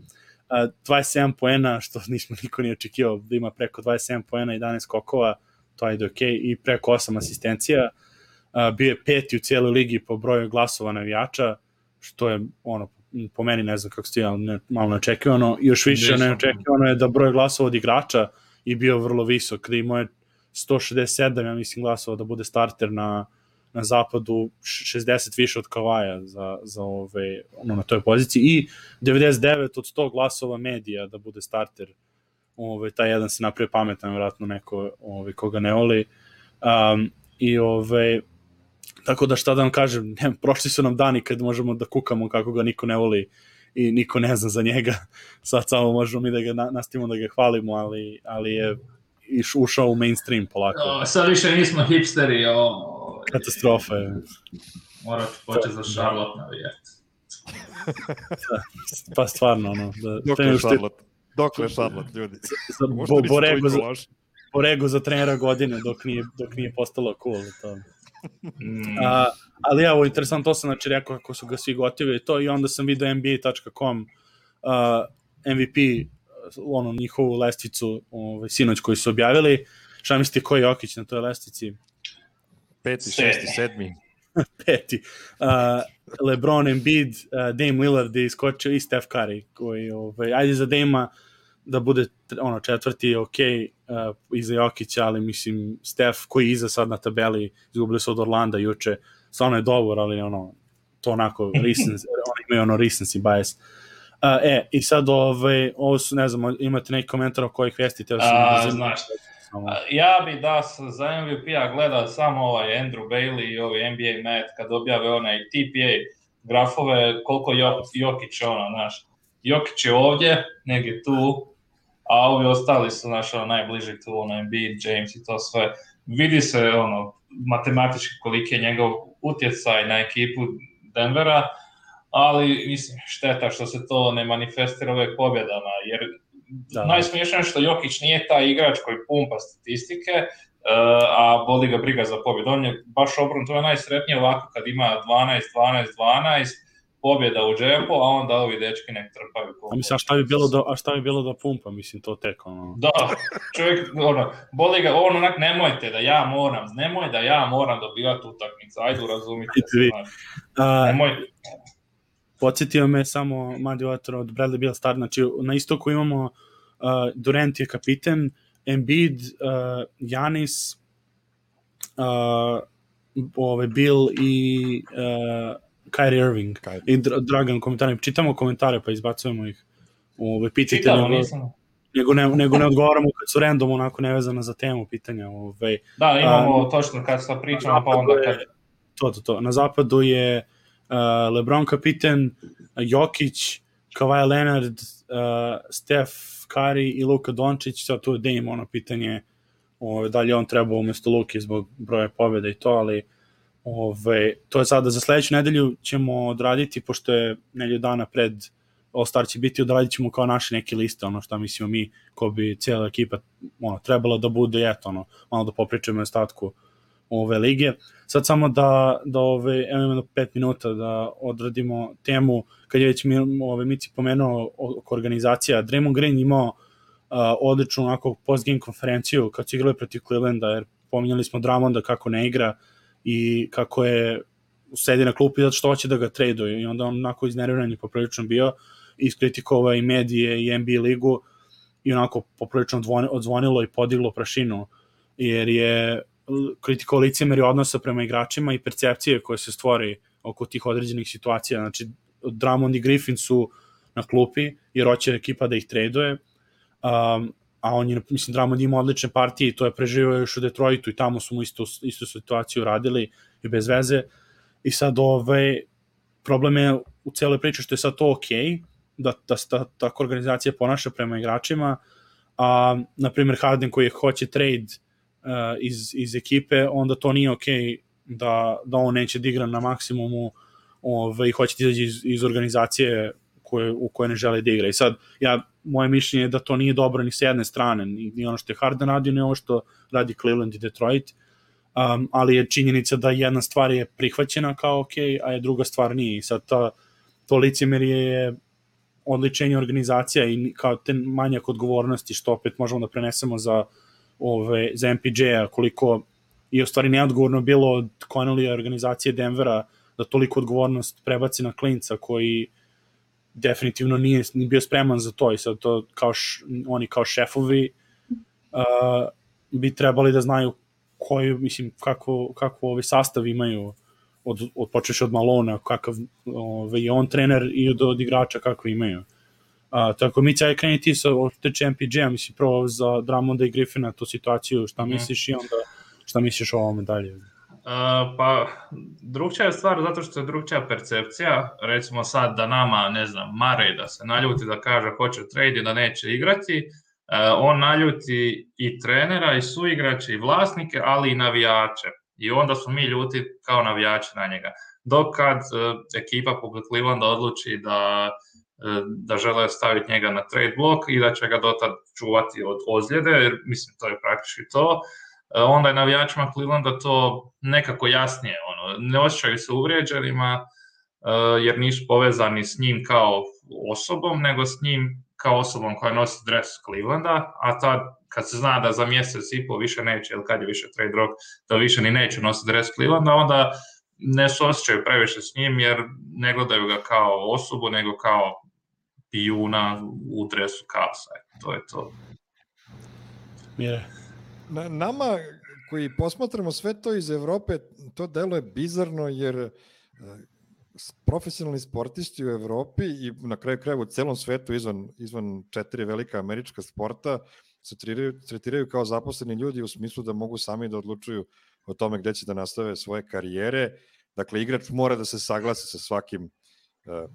Uh, dvadeset sedam poena, što nismo niko nije očekivao da ima preko dvadeset sedam poena, jedanaest skokova, to je ok, i preko osam asistencija. Uh, bio je peti u cijeloj ligi po broju glasova navijača, što je ono, po meni ne znam kako stojalo, ne, malo neočekivano. Još više neočekivano je da broj glasova od igrača i bio vrlo visok, da imao je sto šezdeset sedam, ja mislim, glasova da bude starter na na zapadu, šezdeset više od Kavaja za, za ove, ono, na toj poziciji i devedeset devet od sto glasova medija da bude starter. Ove, taj jedan se napravio pametan, vjerojatno neko ove, koga ne voli. Um, I ove, tako da šta da vam kažem, ne, prošli su nam dani kad možemo da kukamo kako ga niko ne voli i niko ne zna za njega. Sad samo možemo mi da ga na, nastavimo da ga hvalimo, ali, ali je iš, ušao u mainstream polako. O, sad više nismo hipsteri, o... Katastrofa je. Morat početi za Charlotte navijeti. Pa stvarno, ono. Da, Dokle Charlotte? Dokle Charlotte, ljudi? Bo, Borego, za, Borego za trenera godine dok nije, dok nije postalo cool. To. Mm. A, ali evo, interesantno, to sam znači rekao kako su ga svi gotivili to i onda sam vidio N B A dot com uh, M V P ono, njihovu lestvicu ovaj, sinoć koji su objavili. Šta mislite koji je Jokić na toj lestvici? Peti, šesti, sedmi. Peti. Uh, LeBron, Embiid, uh, Dame Lillard je iskočio i Steph Curry, koji, ovaj, ajde za Dame-a da bude ono, četvrti je ok, uh, iza Jokića, ali mislim Steph koji je iza sad na tabeli, izgubili su od Orlanda juče, stvarno je dobar, ali ono, to onako, recency, oni imaju ono recency bias. Uh, e, i sad ovaj, ovo su, ne znam, imate neki komentar o kojih vesti? Teo sam A, znaš, ja bi da za M V P-a gledao samo ovaj Andrew Bailey i ovaj N B A Math kad objave onaj T P A grafove, koliko Jokić ono, znaš, Jokić je ovdje, negdje tu, a ovi ostali su naš ono, najbliži tu, ono, Embiid, James i to sve. Vidi se ono, matematički koliki je njegov utjecaj na ekipu Denvera, ali mislim, šteta što se to ne manifestira uvijek pobjedama, jer da. Najsmiješnije što Jokić nije taj igrač koji pumpa statistike, uh, a boli ga briga za pobjedu. On je baš obrnuto, to je najsretnije ovako kad ima dvanaest, dvanaest, dvanaest, pobjeda u džepu, a onda ovi dečki nek trpaju. A mislim, a šta bi bilo da, a šta bi bilo da pumpa, mislim, to tek, ono... Da, čovjek, ono, boli ga, on onak, nemojte da ja moram, nemoj da ja moram dobivati utakmicu, ajde, razumite se, znači, nemoj... Podsjetio me samo Madi Otor od Bradley Beal Star, znači, na istoku imamo uh, Durant je kapiten, Embiid, uh, Giannis, uh, ove, Bill i uh, Kyrie Irving. Kyrie. I Dragan komentari. Čitamo komentare pa izbacujemo ih. Ove, pitajte Čitamo, nego, nisam. Nego ne, nego ne odgovaramo kad su random onako nevezano za temu pitanja. Ove, da, imamo uh, točno kad se pričamo pa onda kad... Je, to, to, to. Na zapadu je uh, LeBron kapiten, Jokić, Kawhi Leonard, uh, Steph Curry i Luka Dončić. Sad tu je Dame ono pitanje ove, da li on treba umjesto Luke zbog broja pobjeda i to, ali ove, to je sada za sledeću nedelju ćemo odraditi, pošto je nedelju dana pred All-Star će biti, odradit ćemo kao naše neke liste, ono šta mislimo mi, ko bi cijela ekipa ono, trebala da bude, eto, ono, malo da popričamo o ostatku ove lige. Sad samo da, da ove, evo imamo pet minuta da odradimo temu, kad je već mi, ove, Mici pomenuo oko organizacija, Draymond Green imao Uh, odličnu onako post-game konferenciju kad su igrali protiv Clevelanda, jer pominjali smo Drummonda kako ne igra i kako je sedi na klupi zato što hoće da ga traduju i onda on onako iznerviran je poprilično bio, iskritikovao i medije i N B A ligu i onako poprilično odzvonilo i podiglo prašinu, jer je kritikovao licemerje odnosa prema igračima i percepcije koje se stvori oko tih određenih situacija. Znači Drummond i Griffin su na klupi jer hoće ekipa da ih traduje. Um, a on je, mislim, Drummond ima odlične partije i to je preživio još u Detroitu i tamo su mu istu, istu situaciju radili i bez veze i sad ovaj, problem je u celoj priči što je sad to okej, da, da ta, tako organizacija ponaša prema igračima, a na primjer Harden koji hoće trade uh, iz, iz ekipe, onda to nije okej da, da on neće da igra na maksimumu ovaj, i hoće da izađe iz, iz organizacije koje, u kojoj ne žele da igra. I sad, ja, moje mišljenje je da to nije dobro ni s jedne strane, ni, ni ono što je Harden radio, ni ono što radi Cleveland i Detroit, um, ali je činjenica da jedna stvar je prihvaćena kao ok, a je druga stvar nije. I sad ta, to licemerje je odličenje organizacija i kao te manjak odgovornosti, što opet možemo da prenesemo za, ove, za M P J-a, koliko je u stvari neodgovorno bilo od Connelly organizacije Denvera da toliko odgovornost prebaci na klinca koji definitivno nije, nije bio spreman za to i sad to kao š, oni kao šefovi uh, bi trebali da znaju koju, mislim, kako, kako ovaj sastav imaju od, od počeš od Malona, kakav ovaj, je on trener i od, od igrača kako imaju. Uh, tako mi će kreniti ti sa teče M P J-a, mislim, prvo za Drummonda i Griffina tu situaciju, šta mm. misliš i onda šta misliš o ovome dalje? Uh, pa, drugčija je stvar zato što je drugčija percepcija, recimo sad da nama, ne znam, Murray da se naljuti da kaže hoće trade i da neće igrati, uh, on naljuti i trenera i suigrače i vlasnike, ali i navijače i onda su mi ljuti kao navijači na njega. Dok kad uh, ekipa poput Clevelanda odluči da, uh, da žele staviti njega na trade blok i da će ga dotad čuvati od ozljede, jer mislim to je praktički to, onda je navijačima Clevelanda to nekako jasnije, ono, ne osjećaju se uvrijeđenima uh, jer nisu povezani s njim kao osobom, nego s njim kao osobom koja nosi dres Clevelanda, a tad kad se zna da za mjesec i po više neće, ili kad je više trade rock, da više ni neće nositi dres Clevelanda, onda ne se osjećaju previše s njim jer ne gledaju ga kao osobu, nego kao pijuna u dresu Cavsa. To je to. Mire. Na, nama koji posmatramo sve to iz Evrope, to deluje bizarno jer profesionalni sportisti u Evropi i na kraju krajeva u celom svetu izvan, izvan četiri velika američka sporta se tretiraju, tretiraju kao zaposleni ljudi u smislu da mogu sami da odlučuju o tome gde će da nastave svoje karijere. Dakle, igrač mora da se saglasi sa svakim,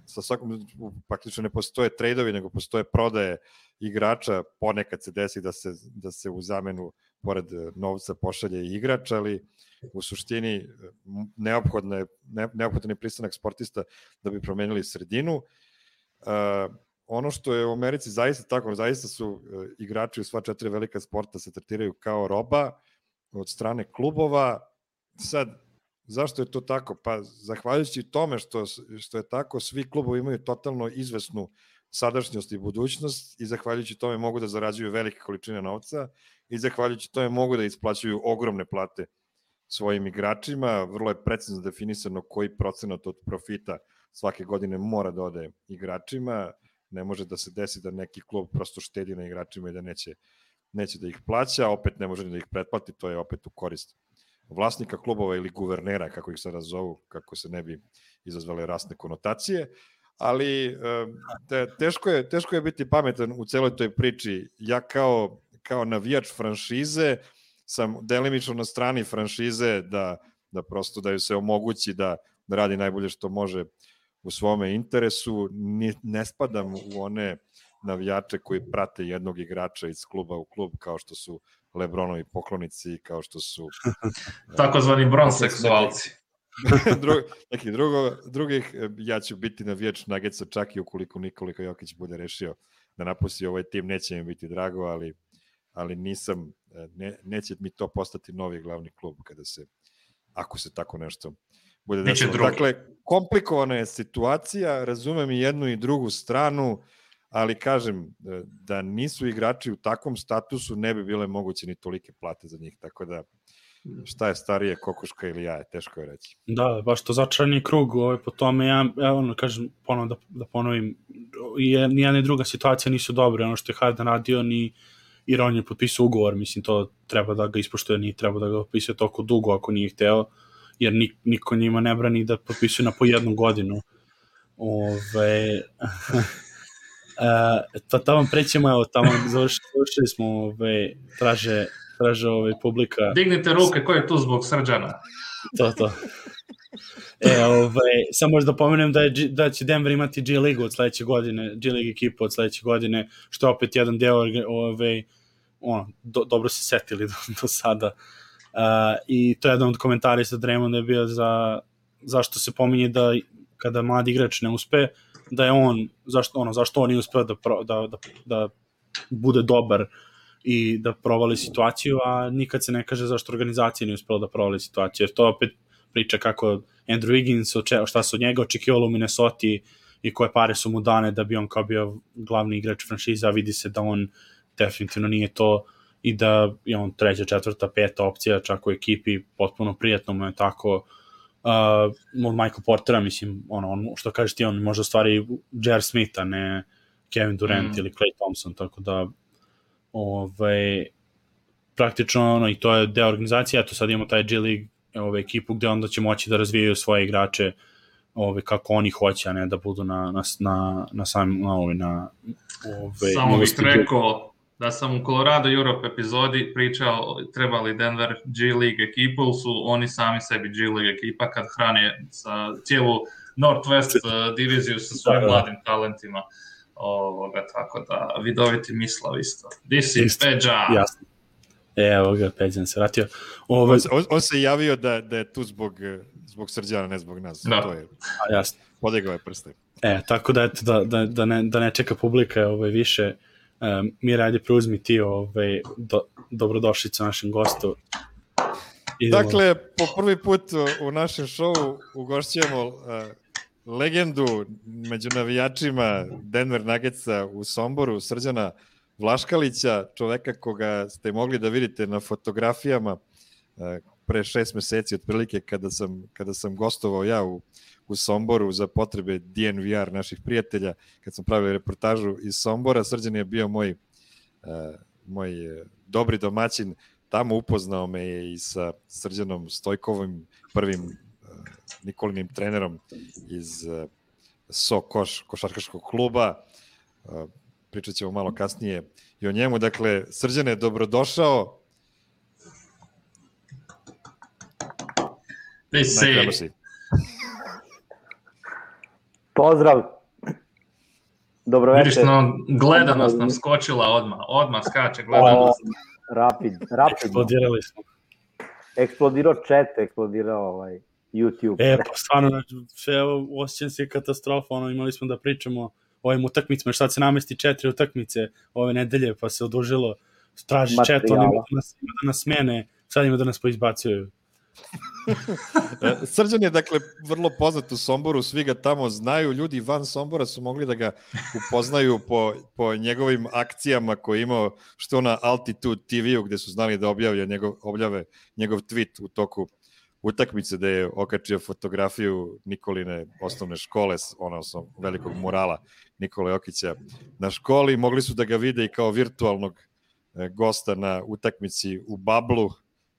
sa svakom, praktično ne postoje trejdovi, nego postoje prodaje igrača, ponekad se desi da se, da se u zamenu pored novca pošalje i igrač, ali u suštini neophodno je, neophodan je pristanak sportista da bi promenili sredinu. Uh, ono što je u Americi zaista tako, zaista su uh, igrači u sva četiri velika sporta se tretiraju kao roba od strane klubova. Sad, zašto je to tako? Pa zahvaljujući tome što, što je tako, svi klubovi imaju totalno izvesnu sadašnjost i budućnost i zahvaljujući tome mogu da zarađuju velike količine novca i zahvaljujući tome mogu da isplaćuju ogromne plate svojim igračima. Vrlo je precizno definisano koji procenat od profita svake godine mora da ode igračima. Ne može da se desi da neki klub prosto štedi na igračima i da neće, neće da ih plaća, opet ne može da ih pretplati, to je opet u korist vlasnika klubova ili guvernera, kako ih sada zovu, kako se ne bi izazvale rasne konotacije, ali te, teško, je, teško je biti pametan u celoj toj priči. Ja kao, kao navijač franšize sam delimično na strani franšize da, da prosto da ju se omogući da, da radi najbolje što može u svome interesu. Ni, ne spadam u one navijače koji prate jednog igrača iz kluba u klub, kao što su Lebronovi poklonici, kao što su takozvani bronseksualci. Dru, neki drugo, drugih, ja ću biti navijač Nuggetsa čak i ukoliko Nikola Jokić bude rešio da napusti ovaj tim, neće mi biti drago, ali, ali nisam, ne, neće mi to postati novi glavni klub kada se, ako se tako nešto bude desilo. Dakle, komplikovana je situacija, razumem i jednu i drugu stranu, ali kažem, da nisu igrači u takvom statusu, ne bi bile moguće ni tolike plate za njih, tako da šta je starije, kokoška ili jaje, teško je reći. Da, baš to začarani krug, ovaj, po tome, ja, ja ono, kažem, ponovno da, da ponovim, ni jedna ni druga situacija nisu dobre, ono što je Harden radio, ni i on je potpisao ugovor, mislim, to treba da ga ispoštuje, nije treba da ga potpisuje toliko dugo ako nije hteo, jer nik, niko njima ne brani da potpisuje na po jednu godinu. Ove... Uh, to tamo prećemo, evo, tamo završili smo, ove, traže, traže ove, publika. Dignite ruke, ko je tu zbog Srđana? To, to. E, ove, samo možda pomenem da, je, da će Denver imati G Ligu od sledeće godine, G League ekipu od sledeće godine, što je opet jedan deo, ove, ono, do, dobro se setili do, do sada. Uh, I to je jedan od komentara sa Draymonda je bio za, zašto se pominje da kada mladi igrač ne uspe, da je on, zašto, ono, zašto on nije uspeo da, da, da, da bude dobar i da provali situaciju, a nikad se ne kaže zašto organizacija nije uspela da provali situaciju, jer to opet priča kako Andrew Wiggins, šta se od njega očekivalo u Minnesota i koje pare su mu dane da bi on kao bio glavni igrač franšiza, vidi se da on definitivno nije to i da je on treća, četvrta, peta opcija čak u ekipi, potpuno prijatno mu je tako. Uh, od Michael Portera, mislim, ono, on, što kažeš ti, on možda stvari J R. Smith, a ne Kevin Durant mm. ili Klay Thompson, tako da ovaj, praktično ono, i to je deo organizacije, eto sad imamo taj G League ovaj, ekipu gde onda će moći da razvijaju svoje igrače ovaj, kako oni hoće, a ne da budu na, na, na, na samim na, ovaj, na ovaj, samo bih rekao da sam u Colorado Europe epizodi pričao trebali Denver G League ekipu, ili su oni sami sebi G League ekipa kad hrane sa cijelu Northwest uh, diviziju sa svojim mladim talentima. Ovoga, tako da vidoviti mislav isto. This is Peđa. Jasno. Evo ga, Peđan se vratio. Ovo... On, on se javio da, da je tu zbog, zbog Srđana, ne zbog nas. Da. To je, a, jasno. Podigao je prste. E, tako da, eto, da, da, da, ne, da ne čeka publika ovaj, više. Um, Mira, ajde preuzmi ti ovaj, do, dobrodošlicu našem gostu. Idemo. Dakle, po prvi put u našem šovu ugošćujemo uh, legendu među navijačima Denver Nuggetsa u Somboru, Srđana Vlaškalića, čoveka koga ste mogli da vidite na fotografijama uh, pre šest meseci otprilike kada sam, kada sam gostovao ja u u Somboru za potrebe D N V R naših prijatelja, kad smo pravili reportažu iz Sombora. Srđan je bio moj, uh, moj dobri domaćin, tamo upoznao me je i sa Srđanom Stojkovim, prvim uh, Nikolinim trenerom iz uh, So Koš, košarkaškog kluba. Uh, pričat ćemo malo kasnije i o njemu. Dakle, Srđan je dobrodošao. Najkrenosi. Pozdrav. Dobro večer. Vidiš, no, gledanost nam skočila odmah. Odmah skače gledanost. O, rapid, rapidno. Eksplodirali smo. Eksplodirao chat, eksplodirao ovaj YouTube. E, pa stvarno, sve osjećam se katastrofa. Ono, imali smo da pričamo o ovim utakmicama, šta se namesti četiri utakmice ove nedelje, pa se odužilo. Traži chat, oni ima da nas, ima da nas smene, sad ima da nas poizbacuju. Srđan je, dakle, vrlo poznat u Somboru, svi ga tamo znaju, ljudi van Sombora su mogli da ga upoznaju po, po njegovim akcijama koje je imao, što na Altitude T V-u, gde su znali da objavlja njegov, objave njegov tweet u toku utakmice, gde je okačio fotografiju Nikoline osnovne škole, ono sa velikog murala Nikole Jokića na školi. Mogli su da ga vide i kao virtualnog gosta na utakmici u Bablu,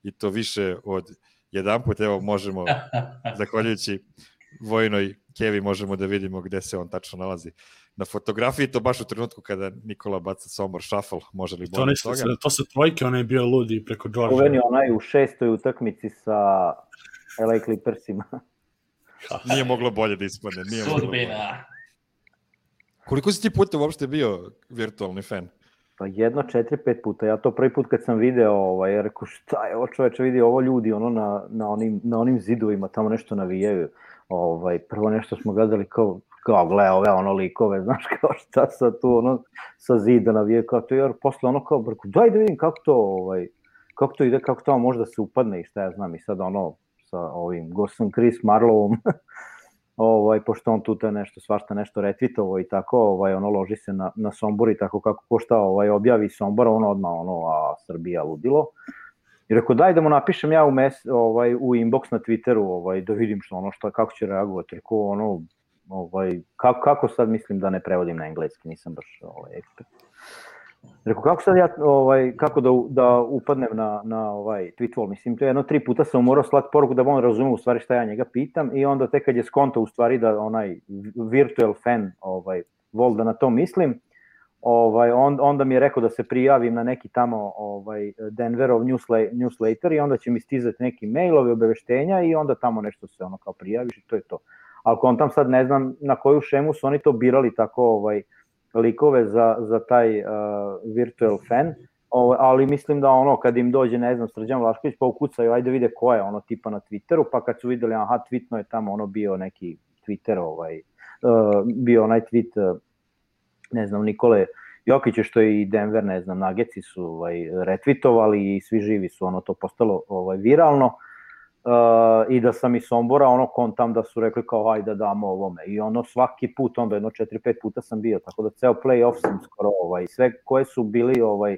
i to više od jedan put. Evo možemo, zahvaljujući Vojnoj Kevi, možemo da vidimo gde se on tačno nalazi na fotografiji, to baš u trenutku kada Nikola baca Sombor shuffle, može li bolje to, toga? To se trojke, on je bio ludi preko Georgia. Uveni onaj u šestoj utakmici sa L A Clippersima. Nije moglo bolje da ispadne. Nije moglo bolje. Koliko si ti puta uopšte bio virtualni fan? Pa jedno četiri, pet puta. Ja to prvi put kad sam video, ovaj, rekao šta je ovo čoveče, vidi ovo ljudi ono na, na, onim, na onim zidovima, tamo nešto navijaju. Ovaj, prvo nešto smo gledali kao, kao gle ove ono likove, znaš kao šta sad tu ono sa zida navijaju, kao to, jer posle ono kao, rekao, daj da vidim kako to, ovaj, kako to ide, kako to možda se upadne i šta ja znam, i sad ono sa ovim gostom Chris Marlovom, ovaj, pošto on tu te nešto, svašta nešto retvitovo i tako, ovaj, ono loži se na, na Sombor i tako kako ko šta ovaj, objavi Sombora, ono odmah ono, a Srbija ludilo. I rekao, daj da mu napišem ja u, mes, ovaj, u inbox na Twitteru, ovaj, da vidim što ono, šta, kako će reagovati. Rekao, ono, ovaj, kako, kako sad mislim da ne prevodim na engleski, nisam baš ovaj, ekspert. Rekao, kako sad ja, ovaj, kako da, da upadnem na, na ovaj tweet wall, mislim, to je jedno tri puta sam morao slati poruku da on razume u stvari šta ja njega pitam, i onda tek kad je skonto u stvari da onaj virtual fan, ovaj, vol da na to mislim, ovaj, on, onda mi je rekao da se prijavim na neki tamo ovaj, Denverov newsletter i onda će mi stizati neki mailovi, obaveštenja i onda tamo nešto se ono kao prijaviš i to je to. Ali kontam sad ne znam na koju šemu su oni to birali tako ovaj, likove za, za taj uh, virtual fan, o, ali mislim da ono kad im dođe, ne znam, Srđan Vlašković pa ukucaju, ajde vide ko je ono tipa na Twitteru, pa kad su videli, aha, tweetno je tamo ono bio neki Twitter, ovaj, uh, bio onaj tweet, uh, ne znam, Nikole Jokića, što je i Denver, ne znam, Nuggets su ovaj, retweetovali i svi živi su, ono to postalo ovaj, viralno. Uh, i da sam iz Sombora ono kontam da su rekli kao ajde da damo ovome i ono svaki put, onda jedno četiri pet puta sam bio, tako da ceo play-off sam skoro ovaj, sve koje su bili ovaj,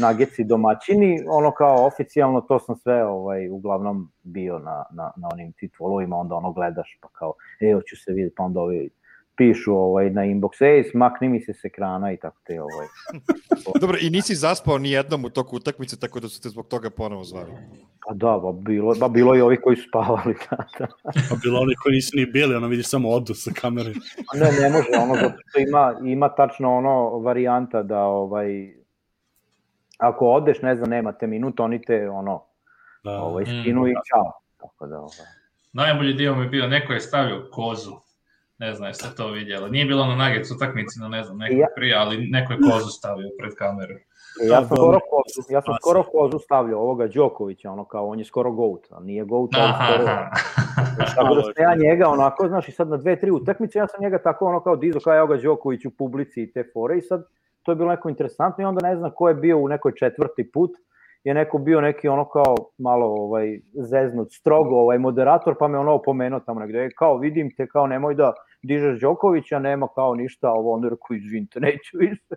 Nuggetsi domaćini, ono kao oficijalno to sam sve ovaj, uglavnom bio na, na, na onim titvolovima, onda ono gledaš pa kao e, hoću se vidjeti, pa onda ovi pišu ovaj, na inbox, ej, smakni mi se s ekrana i tako te ovaj. Dobro, i nisi zaspao ni jednom u toku utakmice, tako da su te zbog toga ponovo zvali. Pa da, ba bilo, ba bilo i ovi koji su spavali. Da, da. Pa bilo oni koji nisu ni bili, ono vidiš samo odu sa kamere. Ne, ne može, ono, zato što ima, ima tačno ono varijanta da, ovaj, ako odeš, ne znam, nemate minuta, oni te, ono, da. Ovaj, skinu mm, i čao. Tako da, ovaj. Najbolji dio mi je bio, neko je stavio kozu. Ne znam, jeste to vidjeli. Nije bilo na Nuggets utakmici, no ne znam, neko ja. prije, ali neko je kozu stavio pred kameru. Ja sam skoro kozu, ja sam skoro kozu stavio ovoga Đokovića, ono kao, on je skoro GOAT, a nije GOAT, ali skoro. Tako da ste ja njega, onako, znaš, i sad na dve, tri utakmice, ja sam njega tako, ono kao dizo, kao evo ga Đoković u publici i te fore, i sad to je bilo neko interesantno, i onda ne znam ko je bio u nekoj četvrti put, je neko bio neki ono kao malo ovaj, zeznut, strogo ovaj, moderator, pa me ono opomenuo tamo negde, kao vidim te, kao nemoj da dižeš Đokovića, nema kao ništa, ovo onda rekao, izvinite, neću više.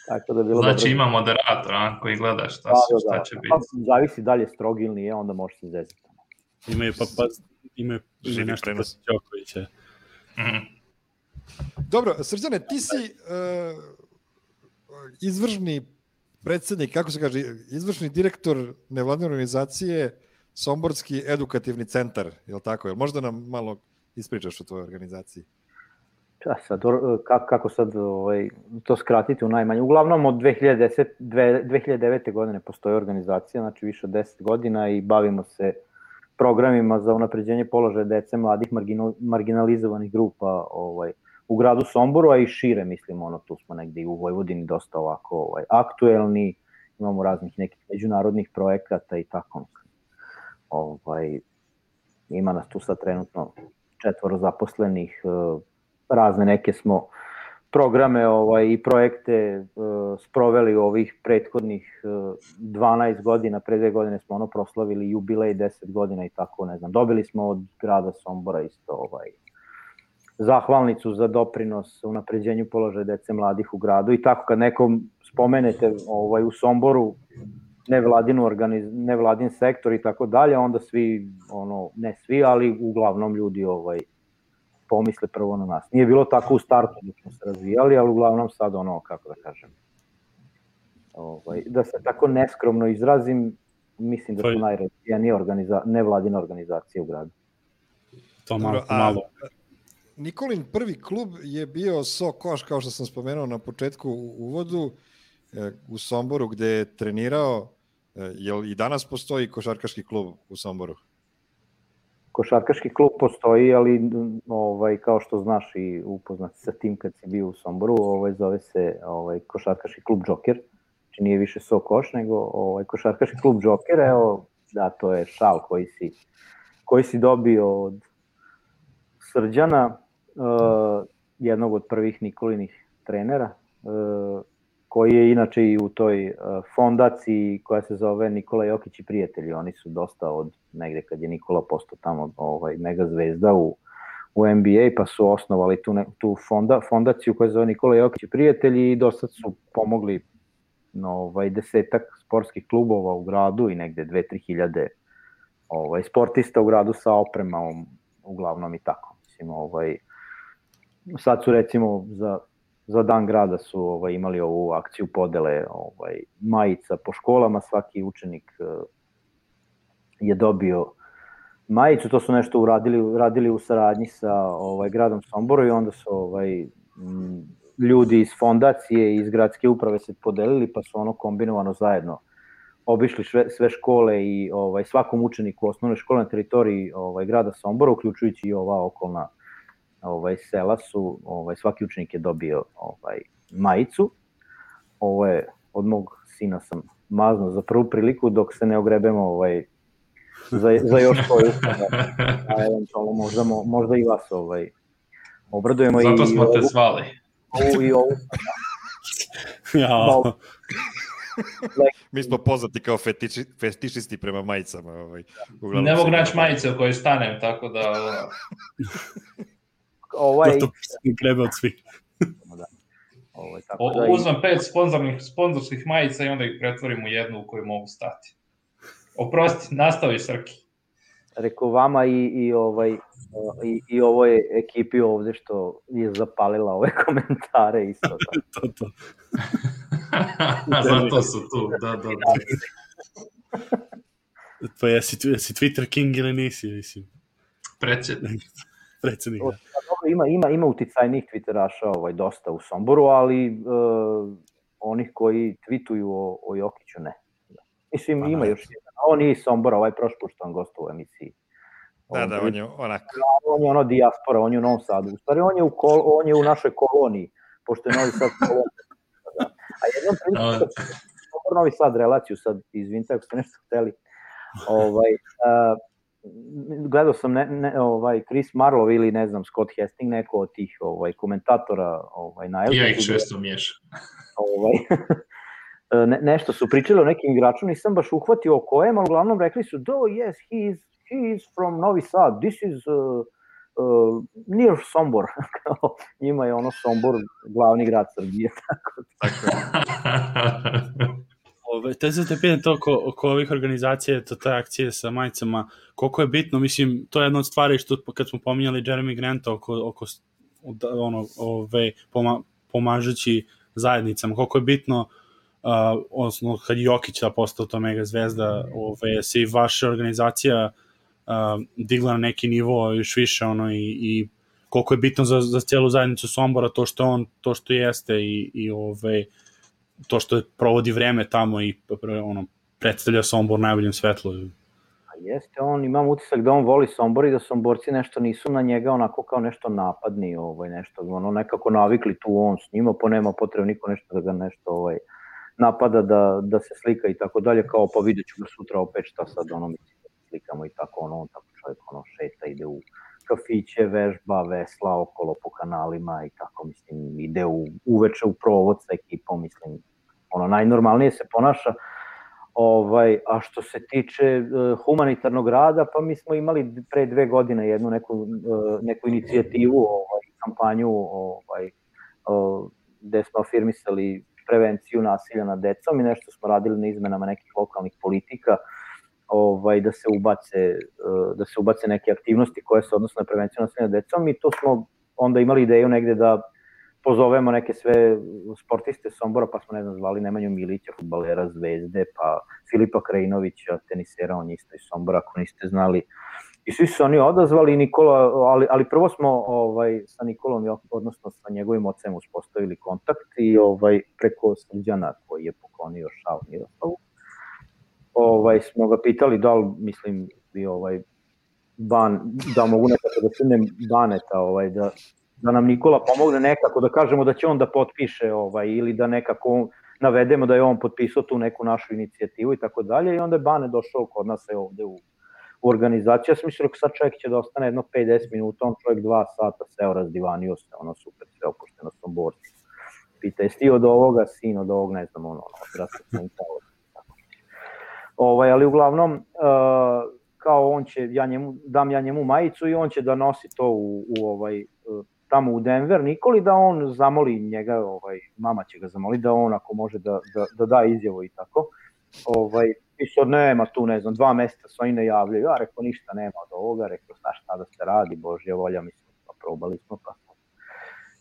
Tako da bilo znači dobro. Ima moderator, a, koji gleda šta, da, se, šta da, će da. biti. Pa, zavisi da li je strog ili nije, onda može se zezati. Imaju pa, pa imaju nešto da se Đokovića. Mm. Dobro, Srđane, ti si uh, izvršni predsednik, kako se kaže, izvršni direktor nevladine organizacije Somborski edukativni centar, je li tako? Jel možda nam malo ispričaš o tvojoj organizaciji? Ja, sad, kako sad ovaj, to skratiti u najmanje? Uglavnom od dve hiljade desete, dve hiljade devete. godine postoji organizacija, znači više od deset godina, i bavimo se programima za unapređenje položaja dece, mladih, marginalizovanih grupa ovaj, u gradu Somboru, a i šire, mislim, ono, tu smo negde i u Vojvodini dosta ovako ovaj, aktuelni, imamo raznih nekih međunarodnih projekata i tako. Ovaj, ima nas tu sad trenutno četvoro zaposlenih, razne neke smo programe ovaj, i projekte uh, sproveli ovih prethodnih uh, dvanaest godina, pre dve godine smo ono proslavili jubilej deset godina i tako, ne znam. Dobili smo od grada Sombora isto ovaj, zahvalnicu za doprinos unapređenju položaja dece mladih u gradu i tako kad nekom spomenete ovaj, u Somboru nevladin, organiz, nevladin sektor i tako dalje, onda svi, ono, ne svi, ali uglavnom ljudi ovaj, pomisle prvo na nas. Nije bilo tako u startu dok smo se razvijali, ali uglavnom sad ono, kako da kažem, ovaj, da se tako neskromno izrazim, mislim da su najrazvijenije organiza, nevladine organizacije u gradu. To malo, to malo. Nikolin prvi klub je bio Sokoš, kao što sam spomenuo na početku u uvodu, u Somboru gde je trenirao. Jel i danas postoji košarkaški klub u Somboru? Košarkaški klub postoji, ali ovaj, kao što znaš i upoznat sa tim kad si bio u Somboru, ovaj, zove se ovaj, Košarkaški klub Džoker, znači nije više Sokoš, nego ovaj, Košarkaški klub Džoker, evo, da, to je šal koji si, koji si dobio od Srđana, uh, jednog od prvih Nikolinih trenera, uh, koji je inače i u toj uh, fondaciji koja se zove Nikola Jokić i prijatelji. Oni su dosta od negde kad je Nikola postao tamo ovaj, mega zvezda u, u N B A, pa su osnovali tu, ne, tu fonda, fondaciju koja se zove Nikola Jokić i prijatelji i dosta su pomogli no, ovaj, desetak sportskih klubova u gradu i negde dve do tri hiljade ovaj, sportista u gradu sa opremom, uglavnom i tako. Mislim, ovaj, sad su recimo za Za dan grada su ovaj, imali ovu akciju podele ovaj, majica po školama, svaki učenik uh, je dobio majicu, to su nešto uradili, uradili u saradnji sa ovaj, gradom Somboru i onda su ovaj, m, ljudi iz fondacije i iz gradske uprave se podelili pa su ono kombinovano zajedno obišli sve, sve škole i ovaj, svakom učeniku osnovne škole na teritoriji ovaj, grada Sombora, uključujući i ova okolna ovaj, sela su, ovaj, svaki učenik je dobio ovaj, majicu. Ovo je od mog sina sam maznuo za prvu priliku dok se ne ogrebemo ovaj, za, za još koju a eventualno možda, možda i vas ovaj, obradujemo. Zato i, smo te ovu, zvali. Ovu i ovu. Ja. Mi smo poznati kao fetiči, fetišisti prema majicama. Ovaj, ne mogu naći majice u kojoj stanem, tako da... Ovaj... To je gleda od svih. Da. Ovaj, tako o, da uzmem pet sponzornih, sponzorskih majica i onda ih pretvorim u jednu u koju mogu stati. Oprosti, nastavi Srki. Rekao vama i, i, ovaj, i, i ovoj ekipi ovde što je zapalila ove komentare isto. to, to. Zato su tu, da, da, da. Pa jesi, jesi Twitter king ili nisi, mislim? Predsjednik. Predsjednik, da. Ima, ima, ima uticajnih twitteraša ovaj, dosta u Somboru, ali uh, onih koji tweetuju o, o Jokiću ne. Da. Mislim, pa, ima još jedan. On nije iz Sombora, ovaj prošli put što on gostao u emisiji. Da, da, on je onako. On je ono dijaspora, on je u Novom Sadu. U stvari, on je u, kol, on je u našoj koloniji, pošto je Novi Sad kolonija. Da. A jednom priliku, Sombor Novi Sad relaciju, sad izvinite ako ste nešto hteli. Ovaj, uh, gledao sam ne, ne, ovaj Chris Marlowe ili ne znam Scott Hastings, neko od tih ovaj komentatora ovaj na ja ih često miješam. Ovaj ne, nešto su pričali o nekim igračima, nisam baš uhvatio o kojem, ali uglavnom rekli su do yes he is he is from Novi Sad, this is uh, uh, near Sombor. Njima je ono Sombor glavni grad Srbije, tako tako. Ove, te se te pitan to oko, oko ovih organizacija, to te akcije sa majicama, koliko je bitno, mislim, to je jedna od stvari što kad smo pominjali Jeremy Granta oko, oko ono, ove, poma, pomažući zajednicama, koliko je bitno, uh, odnosno kad Jokić da postao to mega zvezda, ove, se i vaša organizacija uh, digla na neki nivo još više, ono, i, i koliko je bitno za, za cijelu zajednicu Sombora to što on, to što jeste i, i ove, to što provodi vreme tamo i ono, predstavlja Sombor najboljem svetlu. Jeste, on, imam utisak da on voli Sombor i da Somborci nešto nisu na njega onako kao nešto napadni, ovaj, nešto, ono, nekako navikli tu on s njima, pa nema potrebe niko nešto da ga nešto ovaj, napada, da, da se slika i tako dalje, kao pa vidjet ću ga sutra opet šta sad, ono, mislim, da slikamo i tako, ono, on tako čovjek, ono, šeta, ide u kafiće, vežba, vesla okolo po kanalima i tako, mislim, ide u, uveče u provod sa ekipom, mislim, ono, najnormalnije se ponaša. Ovaj, a što se tiče uh, humanitarnog rada, pa mi smo imali pre dve godine jednu neku, uh, neku inicijativu, ovaj, kampanju, ovaj, uh, gde smo afirmisali prevenciju nasilja nad decom i nešto smo radili na izmenama nekih lokalnih politika, ovaj, da se ubace, uh, da se ubace neke aktivnosti koje se odnose na prevenciju nasilja nad decom i to smo onda imali ideju negde da pozovemo neke sve sportiste Sombora, pa smo, ne znam, zvali Nemanju Milića, fudbalera Zvezde, pa Filipa Krajinovića, tenisera, on isto iz Sombora, ako niste znali. I svi su oni odazvali, Nikola, ali, ali prvo smo ovaj, sa Nikolom, odnosno sa njegovim ocem, uspostavili kontakt i ovaj, preko Srđana, koji je poklonio šal Miroslavu, ovaj, smo ga pitali da li, mislim, bi ovaj, ban, da mogu nekako da sudnem Baneta, ovaj, da da nam Nikola pomogne nekako, da kažemo da će on da potpiše ovaj, ili da nekako navedemo da je on potpisao tu neku našu inicijativu i tako dalje i onda je Bane došao kod nas je ovde u, u organizaciju. Ja sam mislio da sad čovjek će da ostane jedno pet do deset minuta, on čovjek dva sata seo, razdivanio se, ono super, sve opušteno Somborci. Pita, jesi ti od ovoga, sin od ovog, ne znam, ono, ono, odrastao sam kao. Ovaj, ali uglavnom, uh, kao on će, ja njemu, dam ja njemu majicu i on će da nosi to u, u ovaj, uh, tamo u Denver Nikoli, da on zamoli njega, ovaj, mama će ga zamoli da on ako može da, da, da da izjavu i tako. Ovaj, i sad nema tu, ne znam, dva meseca se oni ne javljaju, ja rekao ništa nema od ovoga, rekao šta šta da se radi, Božja volja, mislim, pa probali smo pa.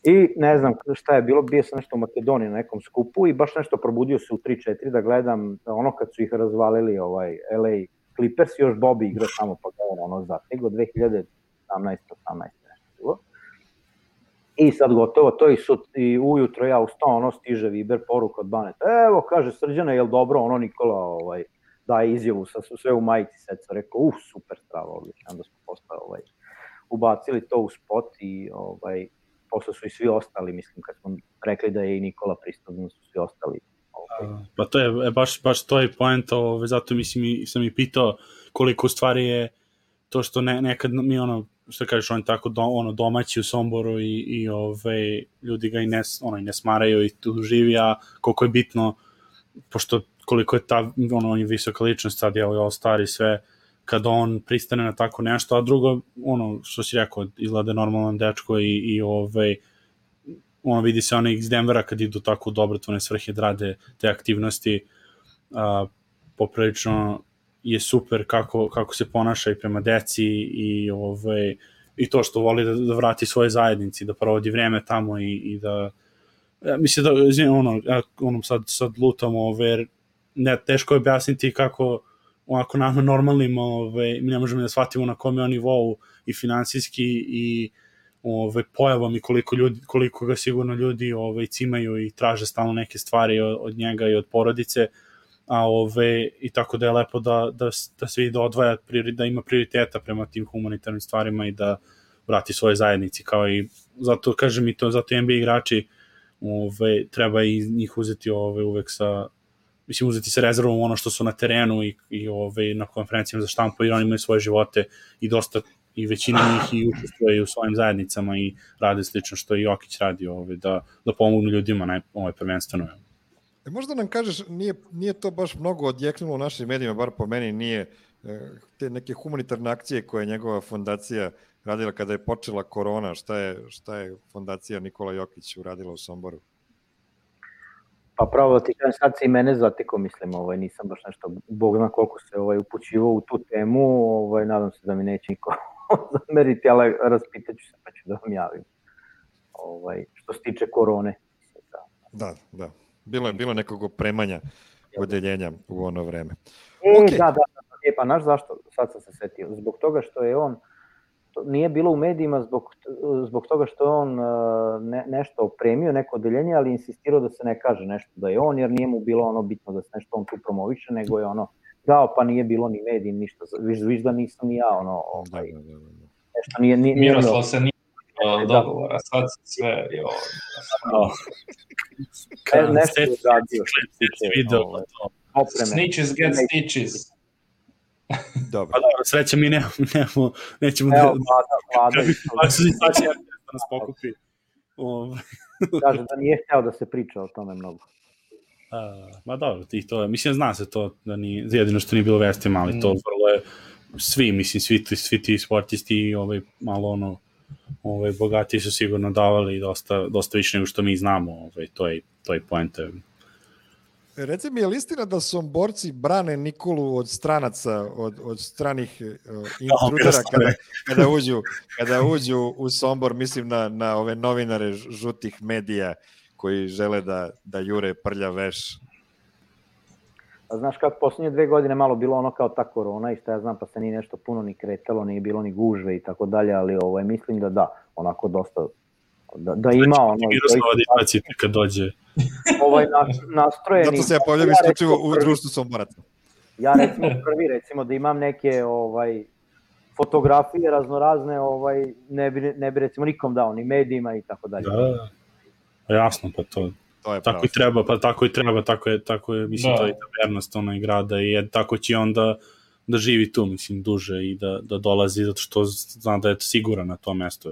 I ne znam šta je bilo, bio sam nešto u Makedoniji na nekom skupu i baš nešto probudio se u tri četiri da gledam ono kad su ih razvalili ovaj L A Clippers, još Bobby igra tamo pa ga ono zategao dve hiljade sedamnaeste osamnaeste nešto bilo. I sad gotovo to i, sut, i ujutro ja ustao, ono stiže Viber poruka od Baneta, evo kaže Srđane, jel dobro, ono Nikola ovaj, daje izjavu sa sve u majici seca, rekao, uf, super strava, odlično, onda smo postao, ovaj, ubacili to u spot i ovaj, posle su i svi ostali, mislim, kad smo rekli da je i Nikola pristupno, su svi ostali. Ovaj. Pa to je, baš, baš to je poenta, ovaj, zato mislim, sam i pitao koliko stvari je to što ne, nekad mi ono, što kažeš, on je tako do, ono, domaći u Somboru i, i ove, ljudi ga i ne, ono, i ne smaraju i tu živi, a koliko je bitno, pošto koliko je ta, ono, on je visoka ličnost sad, je all star i sve, kada on pristane na tako nešto, a drugo, ono, što si rekao, izgleda normalan dečko i, i ove, ono, vidi se oni iz Denvera kad idu tako u dobrotvorne svrhe da rade te aktivnosti, a, poprilično je super kako, kako se ponaša i prema deci i, ove, i to što voli da, da vrati svoje zajednici, da provodi vreme tamo i, i da, ja, mislim da, ono, ono sad, sad lutam, ove, ne, teško je objasniti kako onako nama normalnim, ove, mi ne možemo da shvatimo na kome on nivou i finansijski i ove, pojavom i koliko, ljudi, koliko ga sigurno ljudi ove, cimaju i traže stalno neke stvari od, od njega i od porodice, a ove, i tako da je lepo da, da, da se vidi da odvaja, da ima prioriteta prema tim humanitarnim stvarima i da vrati svoje zajednici, kao i, zato kažem i to, zato N B A igrači ove, treba i njih uzeti ove, uvek sa, mislim, uzeti sa rezervom ono što su na terenu i, i ove, na konferencijama za štampu, jer oni imaju svoje živote i dosta, i većina njih i učestvuje u svojim zajednicama i rade slično što i Jokić radi, ove, da, da pomognu ljudima na ovaj prvenstveno. E, možda nam kažeš, nije, nije to baš mnogo odjeknulo u našim medijima, bar po meni nije, te neke humanitarne akcije koje je njegova fondacija radila kada je počela korona, šta je, šta je fondacija Nikola Jokić uradila u Somboru? Pa pravo ti kažem, sad se i mene zatiko, mislim, ovaj, nisam baš nešto, Bog zna koliko se ovaj, upućivao u tu temu, ovaj, nadam se da mi neće niko zameriti, ali raspitaću se pa ću da vam javim. Ovaj, što se tiče korone. Da, da. Bilo je bilo nekog opremanja odeljenja u ono vreme. E, okay. da, da, da, e, pa znaš zašto, sad sam se setio, zbog toga što je on, to nije bilo u medijima zbog, zbog toga što je on ne, nešto opremio, neko odeljenje, ali insistirao da se ne kaže nešto da je on, jer nije mu bilo ono bitno da se nešto on tu promoviše, nego je ono, dao pa nije bilo ni mediji, ništa, viš, viš da nisam ni ja, ono, ovaj, da, da, da, da. nešto nije... nije Miroslav se nije dogovora, sad sve je ovo. Nešto je radio. Snitches get stitches. Dobro. Pa dobro, sreća mi nemamo, nemamo nećemo Evo, da... vlada, vlada. Kako se situacija da nas pokupi. Kaže da nije hteo da se priča o tome mnogo. A, ma dobro, i to, mislim, zna se to, da nije, jedino što nije bilo vestima, ali to vrlo je, svi, mislim, svi, svi ti sportisti, ovaj, malo ono, ovaj, bogati su sigurno davali dosta, dosta više nego što mi znamo, ovaj, to je, to je poenta. Reci mi, je li istina da Somborci brane Nikolu od stranaca, od, od stranih uh, intrudera kada, kada, uđu, kada uđu u Sombor, mislim na, na ove novinare žutih medija koji žele da, da jure prlja veš? A znaš kako, poslednje dve godine malo bilo ono kao ta korona i šta ja znam, pa se nije nešto puno ni kretalo, nije bilo ni gužve i tako dalje, ali ovaj, mislim da da, onako dosta, da, da ima ono... Znači, kad dođe. Ovaj nastrojeni... Zato se ja pojavljam ja isključivo u društvu Somboraca. Ja recimo prvi, recimo da imam neke ovaj, fotografije raznorazne, ovaj, ne, bi, ne bi recimo nikom dao, ni medijima i tako dalje. Da, jasno, pa to... To je tako pravo. I treba, pa tako i treba, tako je, tako je, mislim, da. To je ta vernost onaj grada i je, tako će onda da živi tu, mislim, duže i da, da dolazi, zato što zna da je siguran na to mesto.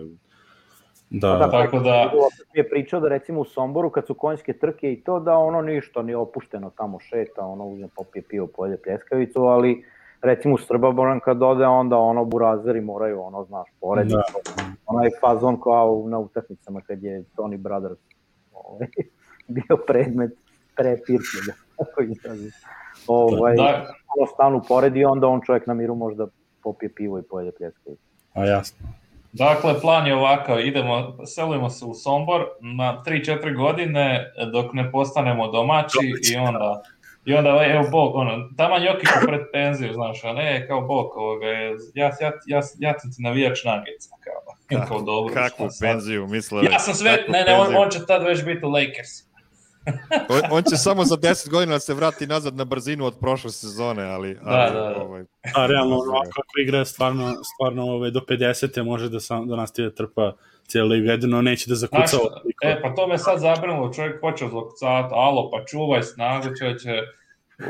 Da, da, tako da... Mi je pričao da recimo u Somboru, kad su konjske trke i to, da ono ništa nije opušteno tamo šeta, ono uzme popije pivo, pojede pljeskavicu, ali recimo u Srboboran kad ode, onda ono burazeri moraju, ono, znaš, porediti. Da. Onaj fazon kao na utakmicama kad je Tony Brothers ovaj, bio predmet prepirke, tako izrazi. Ovaj, da. Ono stanu poredi, onda on čovjek na miru možda popije pivo i pojede pljeskavicu. A jasno. Dakle, plan je ovakav, idemo, selimo se u Sombor na tri četiri godine dok ne postanemo domaći i onda, i onda evo Bog, ono, taman Jokiću pred penziju, znaš, a ne, kao Bog, ovoga, ja, ja, ja, ja sam ti navijač Nuggetsa, kao, Ka, kao dobro. Kakvu penziju, mislili? Ja sam sve, ne, ne, on, on će tad već biti u Lakers. on, on će samo za deset godina da se vrati nazad na brzinu od prošle sezone, ali... Da, ali, da, da. Ovaj, a realno, kako igra stvarno, stvarno ove, do pedesete može da, sam, da nastavi da trpa cijelu ligu, jedino neće da zakuca. E, pa to me sad zabrinulo, čovjek počeo zakucavati, alo, pa čuvaj snagu, čovječe,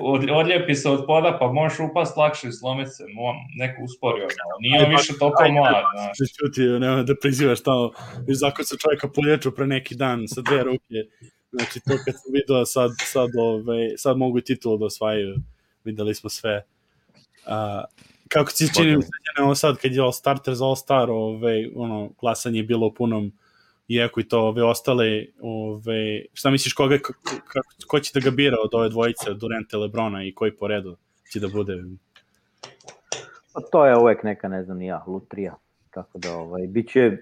od, odlijepi se od poda, pa možeš upast lakše i slomiti se, neko usporio, nije on više toliko mlad, znaš. Čuti, nema da prizivaš tamo, viš zakon se čovjeka polječu pre neki dan sa dve ruke. Znači, to kad sam vidio, sad, sad, ove, sad mogu i titulu da osvajaju, videli smo sve. A, kako ti se čini, ovo sad, kad je All Starter za All Star, ove, ono, glasanje je bilo u punom jeku i to, ove, ostale, ove, šta misliš, koga, ko, ko će da ga bira od ove dvojice, od Duranta, Lebrona i koji po redu će da bude? Pa to je uvek neka, ne znam, ja, lutrija, tako da, ovaj, bit će...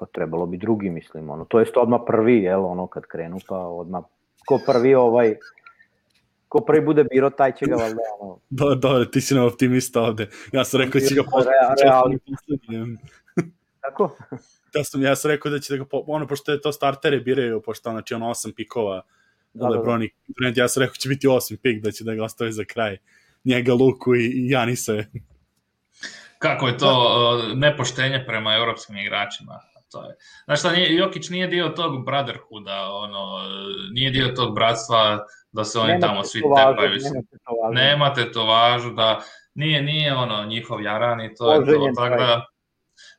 Pa trebalo bi drugi, mislim, ono, to jest odmah prvi, jel, ono, kad krenu, pa odmah, ko prvi, ovaj, ko prvi bude biro, taj će ga, valjda, ono... Do, dobro, ti si na optimista ovde, ja sam rekao da će ga poslednji. Tako? Ja sam, ja sam rekao da će da ga, ono, pošto je to startere biraju, pošto, znači, ono, osam pikova, da, Lebroni, da, da. Ja sam rekao će biti osam pik, da će da ga ostavi za kraj, njega, Luku i, i Janise. Kako je to uh, nepoštenje prema evropskim igračima? To je. Znaš šta, nije, Jokić nije dio tog brotherhooda, ono, nije dio tog bratstva da se oni nema tamo svi tepaju. Nema tetovažu, da nije, nije ono njihov jaran i to je to. Tako da,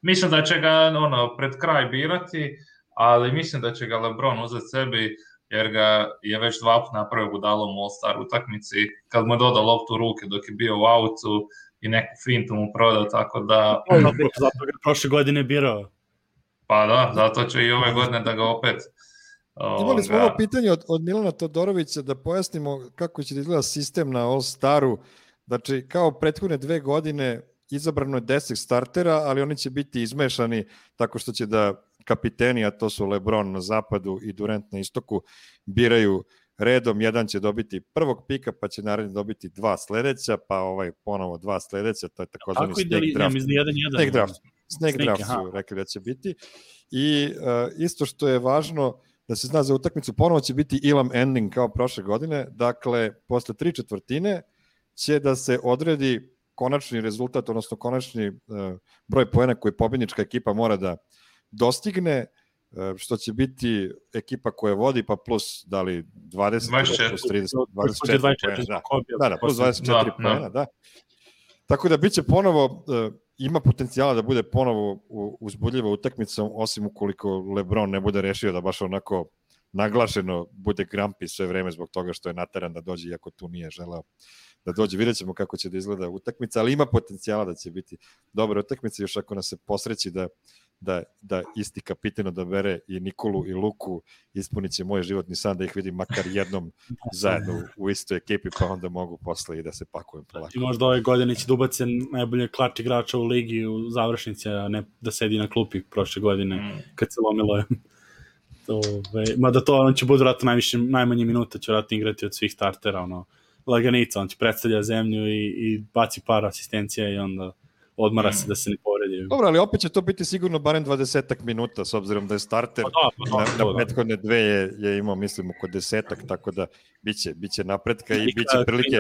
mislim da će ga ono, pred kraj birati, ali mislim da će ga LeBron uzeti sebi, jer ga je već dva put napravio budalom u All-Star utakmici, kad mu je dodao loptu u ruke dok je bio u autu i neku fintu mu prodao, tako da... Zato ga prošle godine birao. Pa da, zato će i ove godine da ga opet... Imali smo ovo pitanje od, od Milana Todorovića da pojasnimo kako će da izgleda sistem na All-Staru. Znači, kao prethodne dve godine izabrano je deset startera, ali oni će biti izmešani tako što će da kapiteni, a to su LeBron na zapadu i Durant na istoku, biraju redom. Jedan će dobiti prvog pika, pa će naredno dobiti dva sledeća, pa ovaj ponovo dva sledeća, to je takozvani snake draft. Snake draft. Snake draft su rekli da će biti. I uh, isto što je važno da se zna za utakmicu, ponovo će biti Elam ending kao prošle godine, dakle, posle tri četvrtine će da se odredi konačni rezultat, odnosno konačni uh, broj poena koji pobednička ekipa mora da dostigne, uh, što će biti ekipa koja vodi, pa plus da li dvadeset, dvadeset četiri, plus trideset, dvadeset četiri, dvadeset četiri poena, da. Da, da, plus dvadeset četiri da, poena, da. Tako da biće ponovo, uh, ima potencijala da bude ponovo uzbudljiva utakmica, osim ukoliko LeBron ne bude rešio da baš onako naglašeno bude grampi sve vreme zbog toga što je nateran da dođe, iako tu nije želeo da dođe. Vidjet ćemo kako će da izgleda utakmica, ali ima potencijala da će biti dobra utakmica, još ako nas se posreći da, da, da isti kapitan odabere i Nikolu i Luku, ispunit će moj životni san da ih vidim makar jednom zajedno u istoj ekipi, pa onda mogu posle i da se pakujem polako. I možda ove godine će da ubace najbolje klač igrača u ligi u završnici, a ne da sedi na klupi prošle godine kad se lomilo. Ove, mada to on će bude vratno najviše, najmanje minuta će vratno igrati od svih startera, ono, laganica, on će predstavlja zemlju i, i baci par asistencija i onda odmara mm. se da se ne povredi. Dobro, ali opet će to biti sigurno barem dvadesetak minuta, s obzirom da je starter pa da, pa da, na, na prethodne dve je, je imao, mislim, oko desetak, tako da biće, biće napretka i, i biće prilike,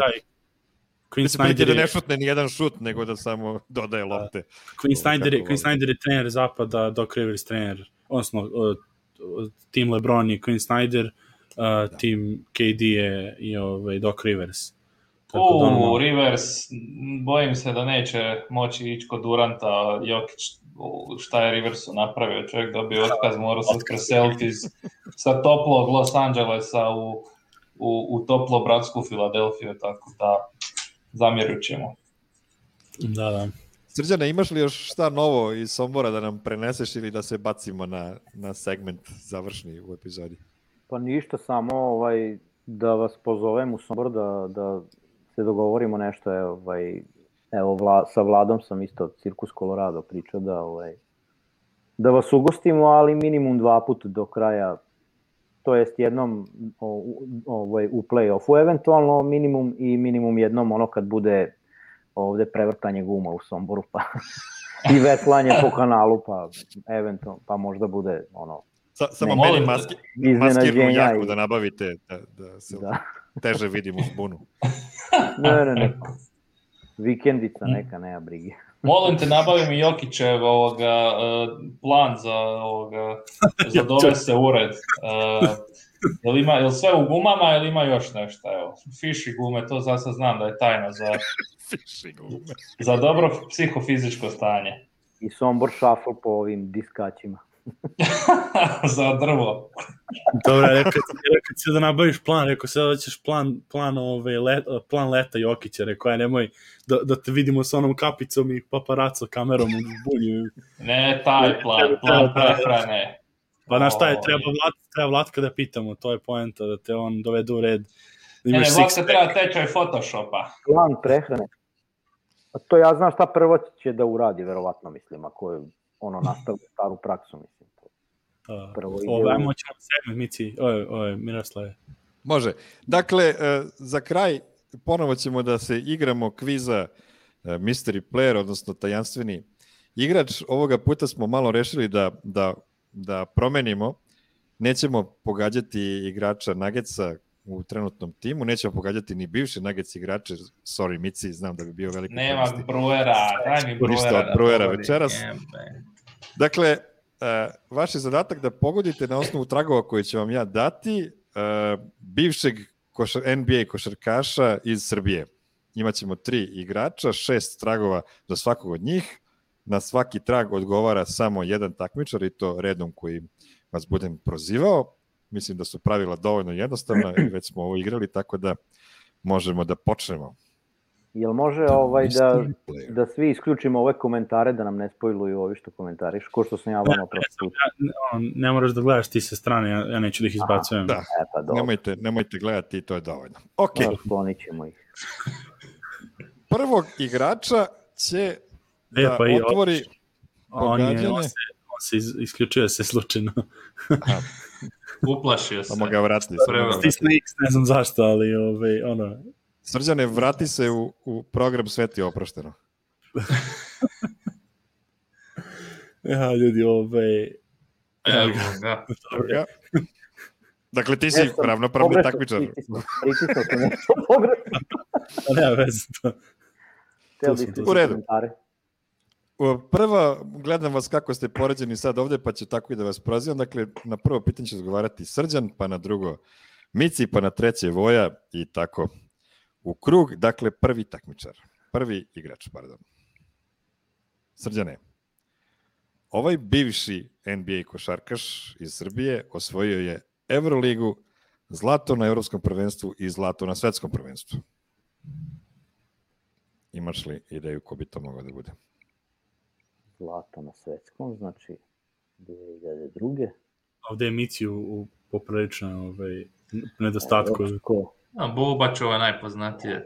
biće prilike da ne šutne ni jedan šut, nego da samo dodaje lopte. Quinn Snyder, Quinn Snyder je trener zapada, Doc Rivers trener, odnosno uh, tim LeBron je Quinn Snyder, Uh, tim K D je i ovaj Doc Rivers. Tako U, da ono... Rivers, bojim se da neće moći ići kod Duranta, Jokić, šta je Riversu napravio, čovjek dobio otkaz, morao se preseliti iz, sa toplog Los Angelesa u, u, u toplo bratsku Filadelfiju, tako da zamjerit ćemo. Da, da. Srđane, imaš li još šta novo iz Sombora da nam preneseš ili da se bacimo na, na segment završni u epizodi? Pa ništa, samo ovaj, da vas pozovem u Sombor, da, da se dogovorimo nešto. Evo, ovaj, evo vla, sa Vladom sam isto Cirkus Colorado pričao da, ovaj, da vas ugostimo, ali minimum dva puta do kraja, to jest jednom ovaj, u play-offu eventualno minimum i minimum jednom ono kad bude ovde prevrtanje guma u Somboru pa i veslanje po kanalu pa eventualno, pa možda bude ono Sa, samo ne, meni maski, maskirnu jaku da nabavite, da, da se da. teže vidim u zbunu. Ne, ne, ne. Vikendica neka, nema brige. Molim te, nabavi mi Jokićev ovoga, plan za, ovoga, za dovese ured. Uh, jel, ima, jel sve u gumama ili ima još nešto? Evo, fiši gume, to za sad znam da je tajno za, za dobro psihofizičko stanje. I Sombor shuffle po ovim diskaćima. Za drvo. Dobro, rekao si da nabaviš plan, rekao si da ćeš plan, plan, ove, let, plan leta Jokića, rekao ja nemoj da, da te vidimo s onom kapicom i paparaco kamerom u bunju. Ne, taj plan, plan prehrane. Pa znaš šta je, treba, Vlat, treba Vlatka da pitamo, to je poenta, da te on dovede u red. Da ne, ne, Vlatka treba tečaj Photoshopa. Plan prehrane. A to ja znam šta prvo će da uradi, verovatno mislim, ako je ono nastavlja staru praksu, mislim. Prvo ide... Ovo, ajmo ćemo segment, Mici, oj, oj, Miroslave. Može. Dakle, za kraj ponovo ćemo da se igramo kviza Mystery Player, odnosno tajanstveni igrač. Ovoga puta smo malo rešili da, da, da promenimo. Nećemo pogađati igrača Nuggetsa u trenutnom timu, nećemo pogađati ni bivše Nuggets igrače, sorry Mici, znam da bi bio veliki nema koristi. Bruera, daj mi Bruera. Od Bruera večeras. Dakle, uh, vaš je zadatak da pogodite na osnovu tragova koje će vam ja dati uh, bivšeg košar, N B A košarkaša iz Srbije. Imaćemo tri igrača, šest tragova za svakog od njih. Na svaki trag odgovara samo jedan takmičar i to redom koji vas budem prozivao. Mislim da su pravila dovoljno jednostavna i već smo ovo igrali, tako da možemo da počnemo. Jel može ovaj da, da svi isključimo ove komentare, da nam ne spojluju ovi što komentariš, ko što sam ja vama prosto. Ne, ne moraš da gledaš ti sa strane, ja, ja neću da ih izbacujem. Da, e, pa nemojte, nemojte gledati i to je dovoljno. Ok. Sklonit ćemo ih. Prvog igrača će e, da pa otvori pogađanje. On, on se, on se iz, isključuje se slučajno. Uplašio se. Samo ga vrati. Stisne X, ne znam zašto, ali ovaj, ono... Srđane, vrati se u, u program Sveti oprošteno. Ja, ljudi, ovaj... Evo ga. ga. Dakle, ti si ravnopravni takmičar. Pritisao sam nešto pogrešno. Nema veze to. U redu. Prva, gledam vas kako ste poređeni sad ovde, pa ću tako i da vas prozivam. Dakle, na prvo pitanje će odgovarati Srđan, pa na drugo Mici, pa na treće Voja i tako u krug. Dakle, prvi takmičar. prvi igrač, pardon. Srđane, ovaj bivši N B A košarkaš iz Srbije osvojio je Euroligu, zlato na evropskom prvenstvu i zlato na svetskom prvenstvu. Imaš li ideju ko bi to mogao da bude? Zlato na svetskom, znači dvije hiljade druge. Ovde je Mici u, u popriličnom ovaj, nedostatku. A, Bubačova najpoznatije.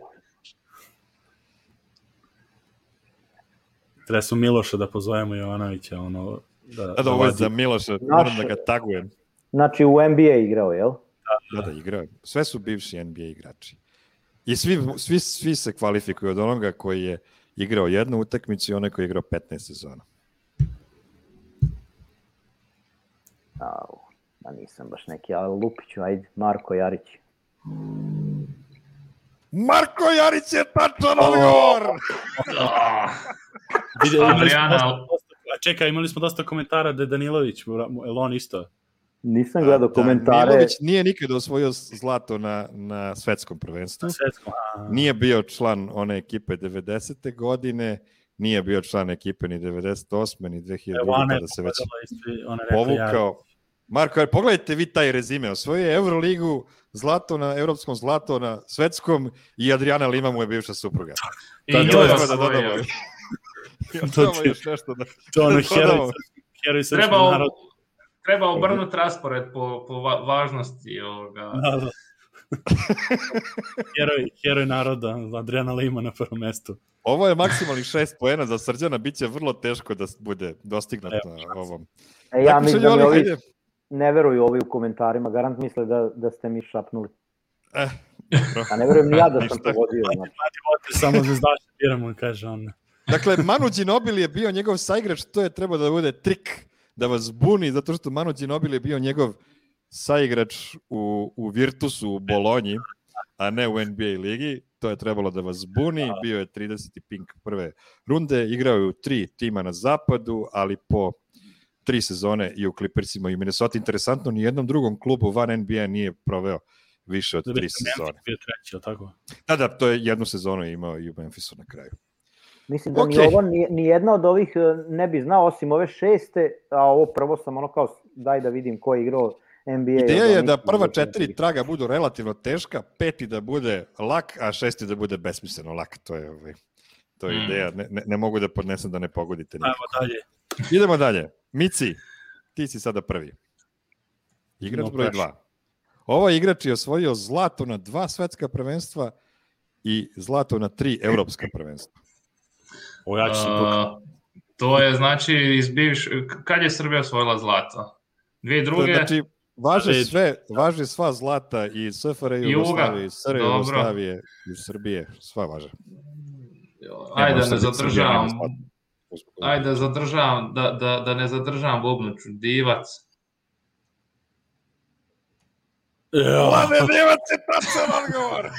Treba su Miloša da pozovemo Jovanovića. Ono, da, da, da ovo je za Miloša, moram da ga tagujem. Znači u N B A igrao, jel? Da, da, igrao. Sve su bivši N B A igrači. I svi, svi, svi se kvalifikuju od onoga koji je igrao jednu utakmicu i onaj koji je igrao petnaest sezona. Au, da nisam baš neki, ali Lupiću, ajde, Marko Jarić. Marko Jarić je tačan odgovor! Adriana... A čekaj, imali smo dosta komentara da je Danilović, je li on isto? Nisam gledao da, komentare. Danilović nije nikada osvojio zlato na, na svetskom prvenstvu. Svetskom, nije bio član one ekipe devedesete godine, nije bio član ekipe ni devedeset osme ni dve hiljade druge kada se već povukao. Marko, pogledajte vi taj rezime. Osvojio je Euroligu, zlato na evropskom, zlato na svetskom i Adriana Lima mu je bivša supruga. I nju je osvojio. To je još nešto da... To ono heroj srpskog naroda. Treba obrnuti raspored po, po va- važnosti ovoga. Da, da. heroj, heroj naroda, Adriana Lima na prvom mestu. Ovo je maksimalnih šest poena za Srđana, bit će vrlo teško da bude dostignut na ovom. E, ja mislim da mi ovi ne veruju ovi u komentarima, garant misle da, da ste mi šapnuli. Eh, A ne verujem ni ja da sam pogodio. Znači. Samo zvezdaše biramo, kaže on. Dakle, Manu Ginobili je bio njegov saigrač, to je trebao da bude trik da vas buni, zato što Manu Ginobili je bio njegov saigrač u, u Virtusu u Bolonji, a ne u N B A ligi. To je trebalo da vas buni. Bio je trideseti pink prve runde. Igrao je u tri tima na zapadu, ali po tri sezone i u Clippersima i u Minnesota. Interesantno, ni jednom drugom klubu van N B A nije proveo više od tri sezone. Bio treći, tako? Da, da, to je jednu sezonu imao i u Memphisu na kraju. Mislim da okay. ni, ovo, ni, ni jedna od ovih ne bi znao, osim ove šeste, a ovo prvo sam ono kao, daj da vidim ko je igrao N B A. Ideja je da prva četiri traga budu relativno teška, peti da bude lak, a šesti da bude besmisleno lak. To je, ovaj, to je mm. ideja. Ne, ne, ne mogu da podnesem da ne pogodite nikako. Ajmo dalje. Idemo dalje. Mici, ti si sada prvi. Igrač no, broj dva. Ovo igrač je osvojio zlato na dva svetska prvenstva i zlato na tri evropska prvenstva. O, ja ću se uh, to je znači iz bivš... Kad je Srbija osvojila zlato? Dvije druge? Znači, važe sve, važe sva zlata i S F R J Jugoslavije, S R J Jugoslavije i Srbije, sva važe. Ajde da ne zadržavam. Ajde da zadržavam, da, da, da ne zadržavam bubnuću. Divac. Mlade Divac je tačan odgovor.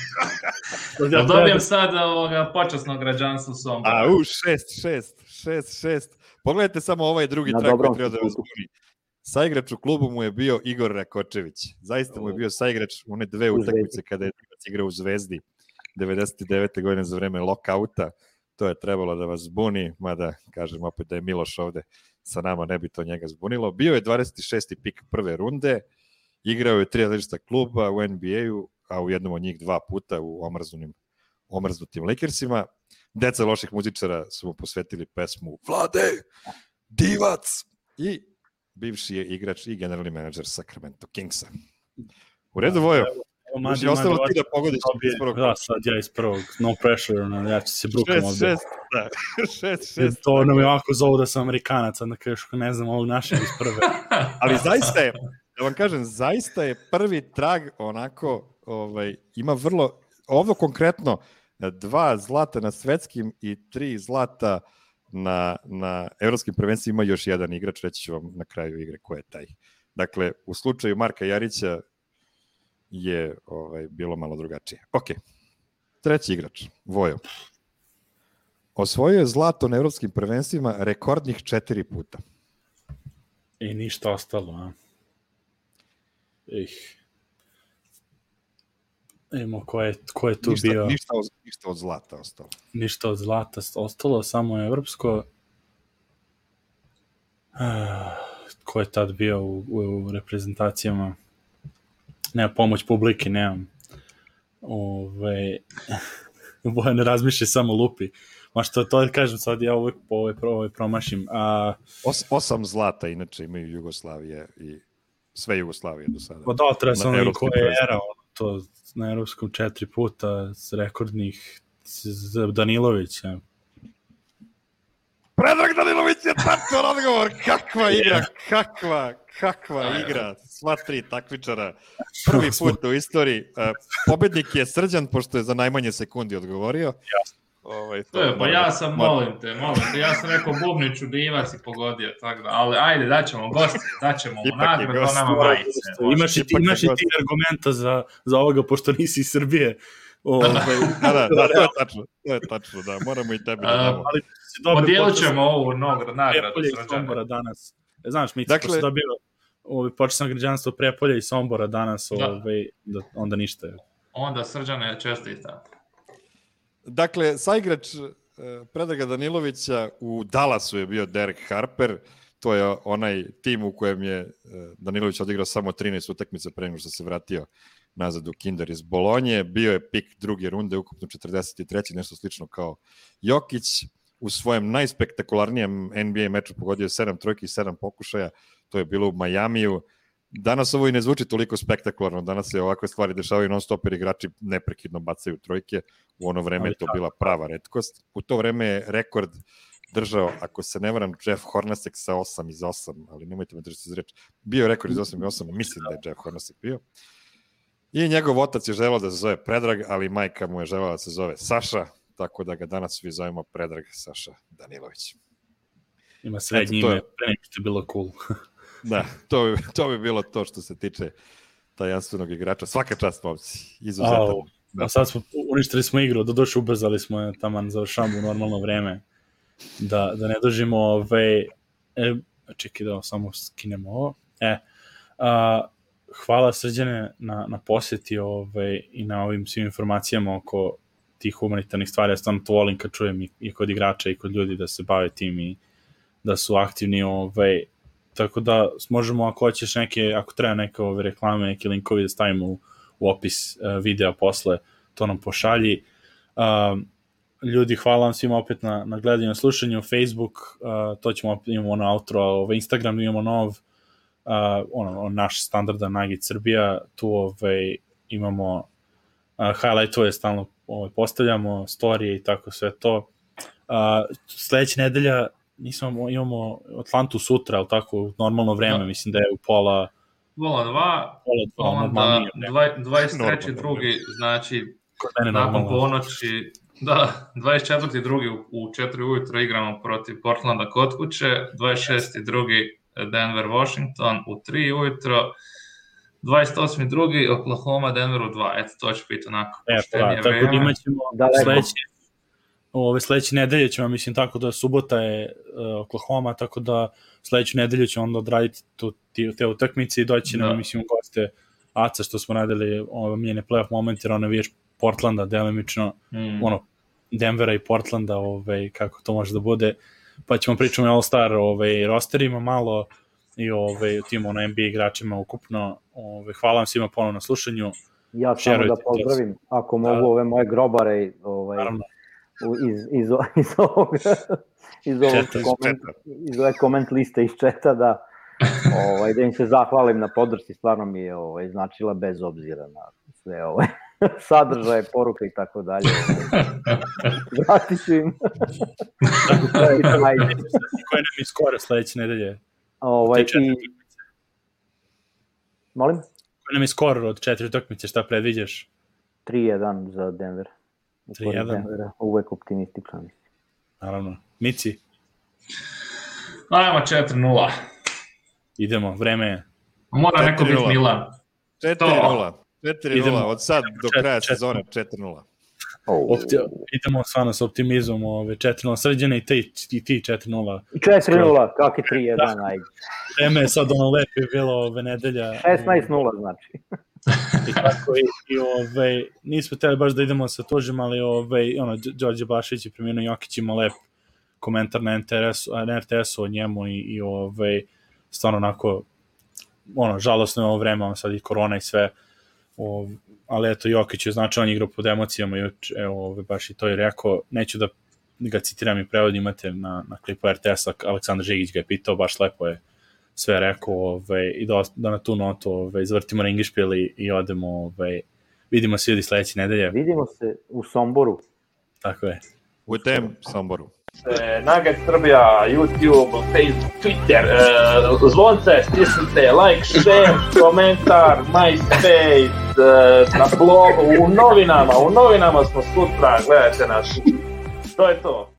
Da dobijem sad ovoga počasnog građanstva Sombora. A, u, šest, šest, šest, šest. Pogledajte samo ovaj drugi na trak koji treba da vas buni. Saigrač u klubu mu je bio Igor Rakočević. Zaista mu je bio saigrač one dve utakmice kada je Divac igrao u Zvezdi devedeset devete godine za vreme lockouta. To je trebalo da vas zbuni, mada kažem opet da je Miloš ovde sa nama, ne bi to njega zbunilo. Bio je dvadeset šesti pik prve runde, igrao je tri različita kluba u N B A-u, a u jednom od njih dva puta u omrznutim, omrznutim Lakersima. Deca loših muzičara su mu posvetili pesmu Vlade, Divac i bivši je igrač i generalni menadžer Sacramento Kingsa. U redu, Vojo? Znači, ostalo ti da pogodiš iz prvog. Da, sad ja iz prvog. No pressure, no, ja ću se brukam ovdje. Šest, šest, da. Šest, šest. To nam je ovako zovu da sam Amerikanac, onda kažeš, ne znam, ovog našeg iz prve. Ali zaista je, da vam kažem, zaista je prvi trag onako, ovaj, ima vrlo, ovo konkretno, dva zlata na svetskim i tri zlata na, na evropskim prvenstvima, ima još jedan igrač, reći ću vam na kraju igre ko je taj. Dakle, u slučaju Marka Jarića je ovaj, bilo malo drugačije. Ok, treći igrač, Vojo. Osvojio je zlato na evropskim prvenstvima rekordnih četiri puta. I ništa ostalo, a? Ih. Imamo ko je, ko je tu ništa, bio. Ništa, Ništa od zlata ostalo. Ništa od zlata ostalo, samo je evropsko. Ko je tad bio u, u reprezentacijama? Nema pomoć publike, nemam. Ove, Bojan ne razmišlja, samo lupi. Ma što to kažem sad, ja uvijek po ove, ove promašim. A... Os, osam zlata, inače imaju Jugoslavije i sve Jugoslavije do sada. Pa da, treba sam ono koja je era, to na evropskom četiri puta s rekordnih Danilovića. Predrag Danilović je tačan odgovor, kakva igra, kakva, kakva igra, sva tri takmičara, prvi put u istoriji. Pobednik je Srđan, pošto je za najmanje sekundi odgovorio. Ovaj, to je, pa ja sam, molim te, molim te, ja sam rekao Bubniću Divac i pogodio, tako da, ali ajde, daćemo gosti, daćemo mu nagradu, to nama majice. Imaš i ti, imaš i ti argumenta za, za ovoga, pošto nisi iz Srbije. Ove, da, da, da, to je tačno, to je tačno, da, moramo i tebi da damo. Ali podijelit ćemo ovu nagradu Srđana. Danas. Znaš, mi dakle, dobio ovaj, počasno građanstvo Prepolja i Sombora danas, ovaj, da, onda ništa. Onda Srđane čestita. Dakle, saigrač Predraga Danilovića u Dallasu je bio Derek Harper, to je onaj tim u kojem je Danilović odigrao samo trinaest utakmica pre nego što se vratio nazad u Kinder iz Bolonje, bio je pik druge runde, ukupno četrdeset treći nešto slično kao Jokić, u svojem najspektakularnijem N B A meču pogodio sedam trojki i sedam pokušaja, to je bilo u Majamiju. Danas ovo i ne zvuči toliko spektakularno, danas se ovakve stvari dešavaju non stop jer igrači neprekidno bacaju trojke, u ono vreme je to bila prava retkost. U to vreme je rekord držao, ako se ne varam, Jeff Hornacek sa osam iz osam, ali nemojte me držati za reč. Bio je rekord iz osam iz osam, mislim da je Jeff Hornacek bio. I njegov otac je želeo da se zove Predrag, ali majka mu je želela da se zove Saša, tako da ga danas svi zovemo Predrag Saša Danilović. Ima srednje ime, pre nego što je bilo cool. Da, to bi, to bi bilo to što se tiče tajanstvenog igrača. Svaka čast, momci, izuzetan. Da. A sad smo, uništili smo igru, doduše ubrzali smo je taman, završamo u normalno vreme. Da, da ne dožimo ove... E, čekaj da samo skinemo ovo. E, a, hvala Srđane na, na posjeti ove, i na ovim svim informacijama oko tih humanitarnih stvari. Ja stvarno to volim kad čujem i, i kod igrača i kod ljudi da se bave tim i da su aktivni. Ove, tako da možemo, ako hoćeš neke, ako treba neke ove reklame, neki linkovi da stavimo u, u opis uh, videa posle, to nam pošalji. Uh, ljudi, hvala vam svima opet na, na gledanju, na slušanju. Facebook, uh, to ćemo, imamo ono outro, ovaj Instagram imamo nov, uh, ono, naš standardan Nugget Srbija, tu ovaj, imamo uh, highlightove, stalno ovaj, postavljamo, storije i tako sve to. Uh, sledeća nedelja nismo, imamo Atlantu sutra, ali tako, normalno vreme, no. Mislim da je u pola... Pola dva, pola dva, onda dvadeset treći drugi, znači, nakon ponoći, da, dvadeset četvrti drugi u četiri ujutro igramo protiv Portlanda kod kuće, dvadeset šesti drugi Denver Washington u tri ujutro, dvadeset osmi drugi Oklahoma Denver u dva, eto, to će biti onako e, poštenije pa, vreme. Tako da imat ćemo sledeće, ove sledeće nedelje ćemo, mislim, tako da subota je uh, Oklahoma, tako da sledeću nedelju ćemo onda odraditi tu, te utakmice i doći nam, mislim, u goste Aca, što smo radili ove miljene playoff momente, jer ono viješ Portlanda delimično, mm. ono, Denvera i Portlanda, ove, kako to može da bude, pa ćemo pričamo o All-Star ove, rosterima malo i ove, tim ono, N B A igračima ukupno. Ove, hvala vam svima ponovno na slušanju. Ja samo da pozdravim, ako mogu, da. Ove moje grobare ovaj, iz, iz, iz ovog iz ovog koment, iz ove koment liste iz četa, da ovaj, da im se zahvalim na podršci, stvarno mi je ovaj, značila bez obzira na sve ovaj, sadržaje, poruke i tako dalje. Vratit ću im. Koje nam je skoro sledeće nedelje? Ovaj, i... Molim? Koje nam je skoro od četiri utakmice, šta predviđaš? tri jedan za Denver. tri jedan? Uvek optimističan. Naravno. Mici? Ajmo četiri nula. Idemo, vreme je. Mora neko biti Milan. četiri nula. četiri nula, od sad do kraja sezone četiri nula. Oh. Opti, idemo stvarno s optimizmom, ove, četiri nula sređene i ti, i ti četiri nula. četiri nula, kak je tri jedan, ajde. Vreme je sad ono lepo je bilo ove nedelja. šesnaest nula znači. I tako, i, i ove, nismo htjeli baš da idemo sa tužim, ali ove, ono, Đorđe Bašić i premijerno Jokić ima lep komentar na R T S-u o njemu i, i ove, stvarno onako, ono, žalosno je ovo vreme, ono sad i korona i sve, ove, ali eto, Jokić je značajan igrao pod emocijama, evo, ove, baš i to je rekao, neću da ga citiram i prevod, imate na, na klipu R T S-a, Aleksandar Žigić ga je pitao, baš lepo je sve rekao, ove, i da, da na tu notu ove, izvrtimo ringišpil i, i odemo, ove, vidimo se ljudi sledeće nedelje. Vidimo se u Somboru. Tako je. U tem Somboru. Nugget Srbija, YouTube, Facebook, Twitter, uh, zvonce, stisnite, like, share, komentar, MySpace, uh, na blogu, u novinama, u novinama smo sutra, gledajte nas. To je to.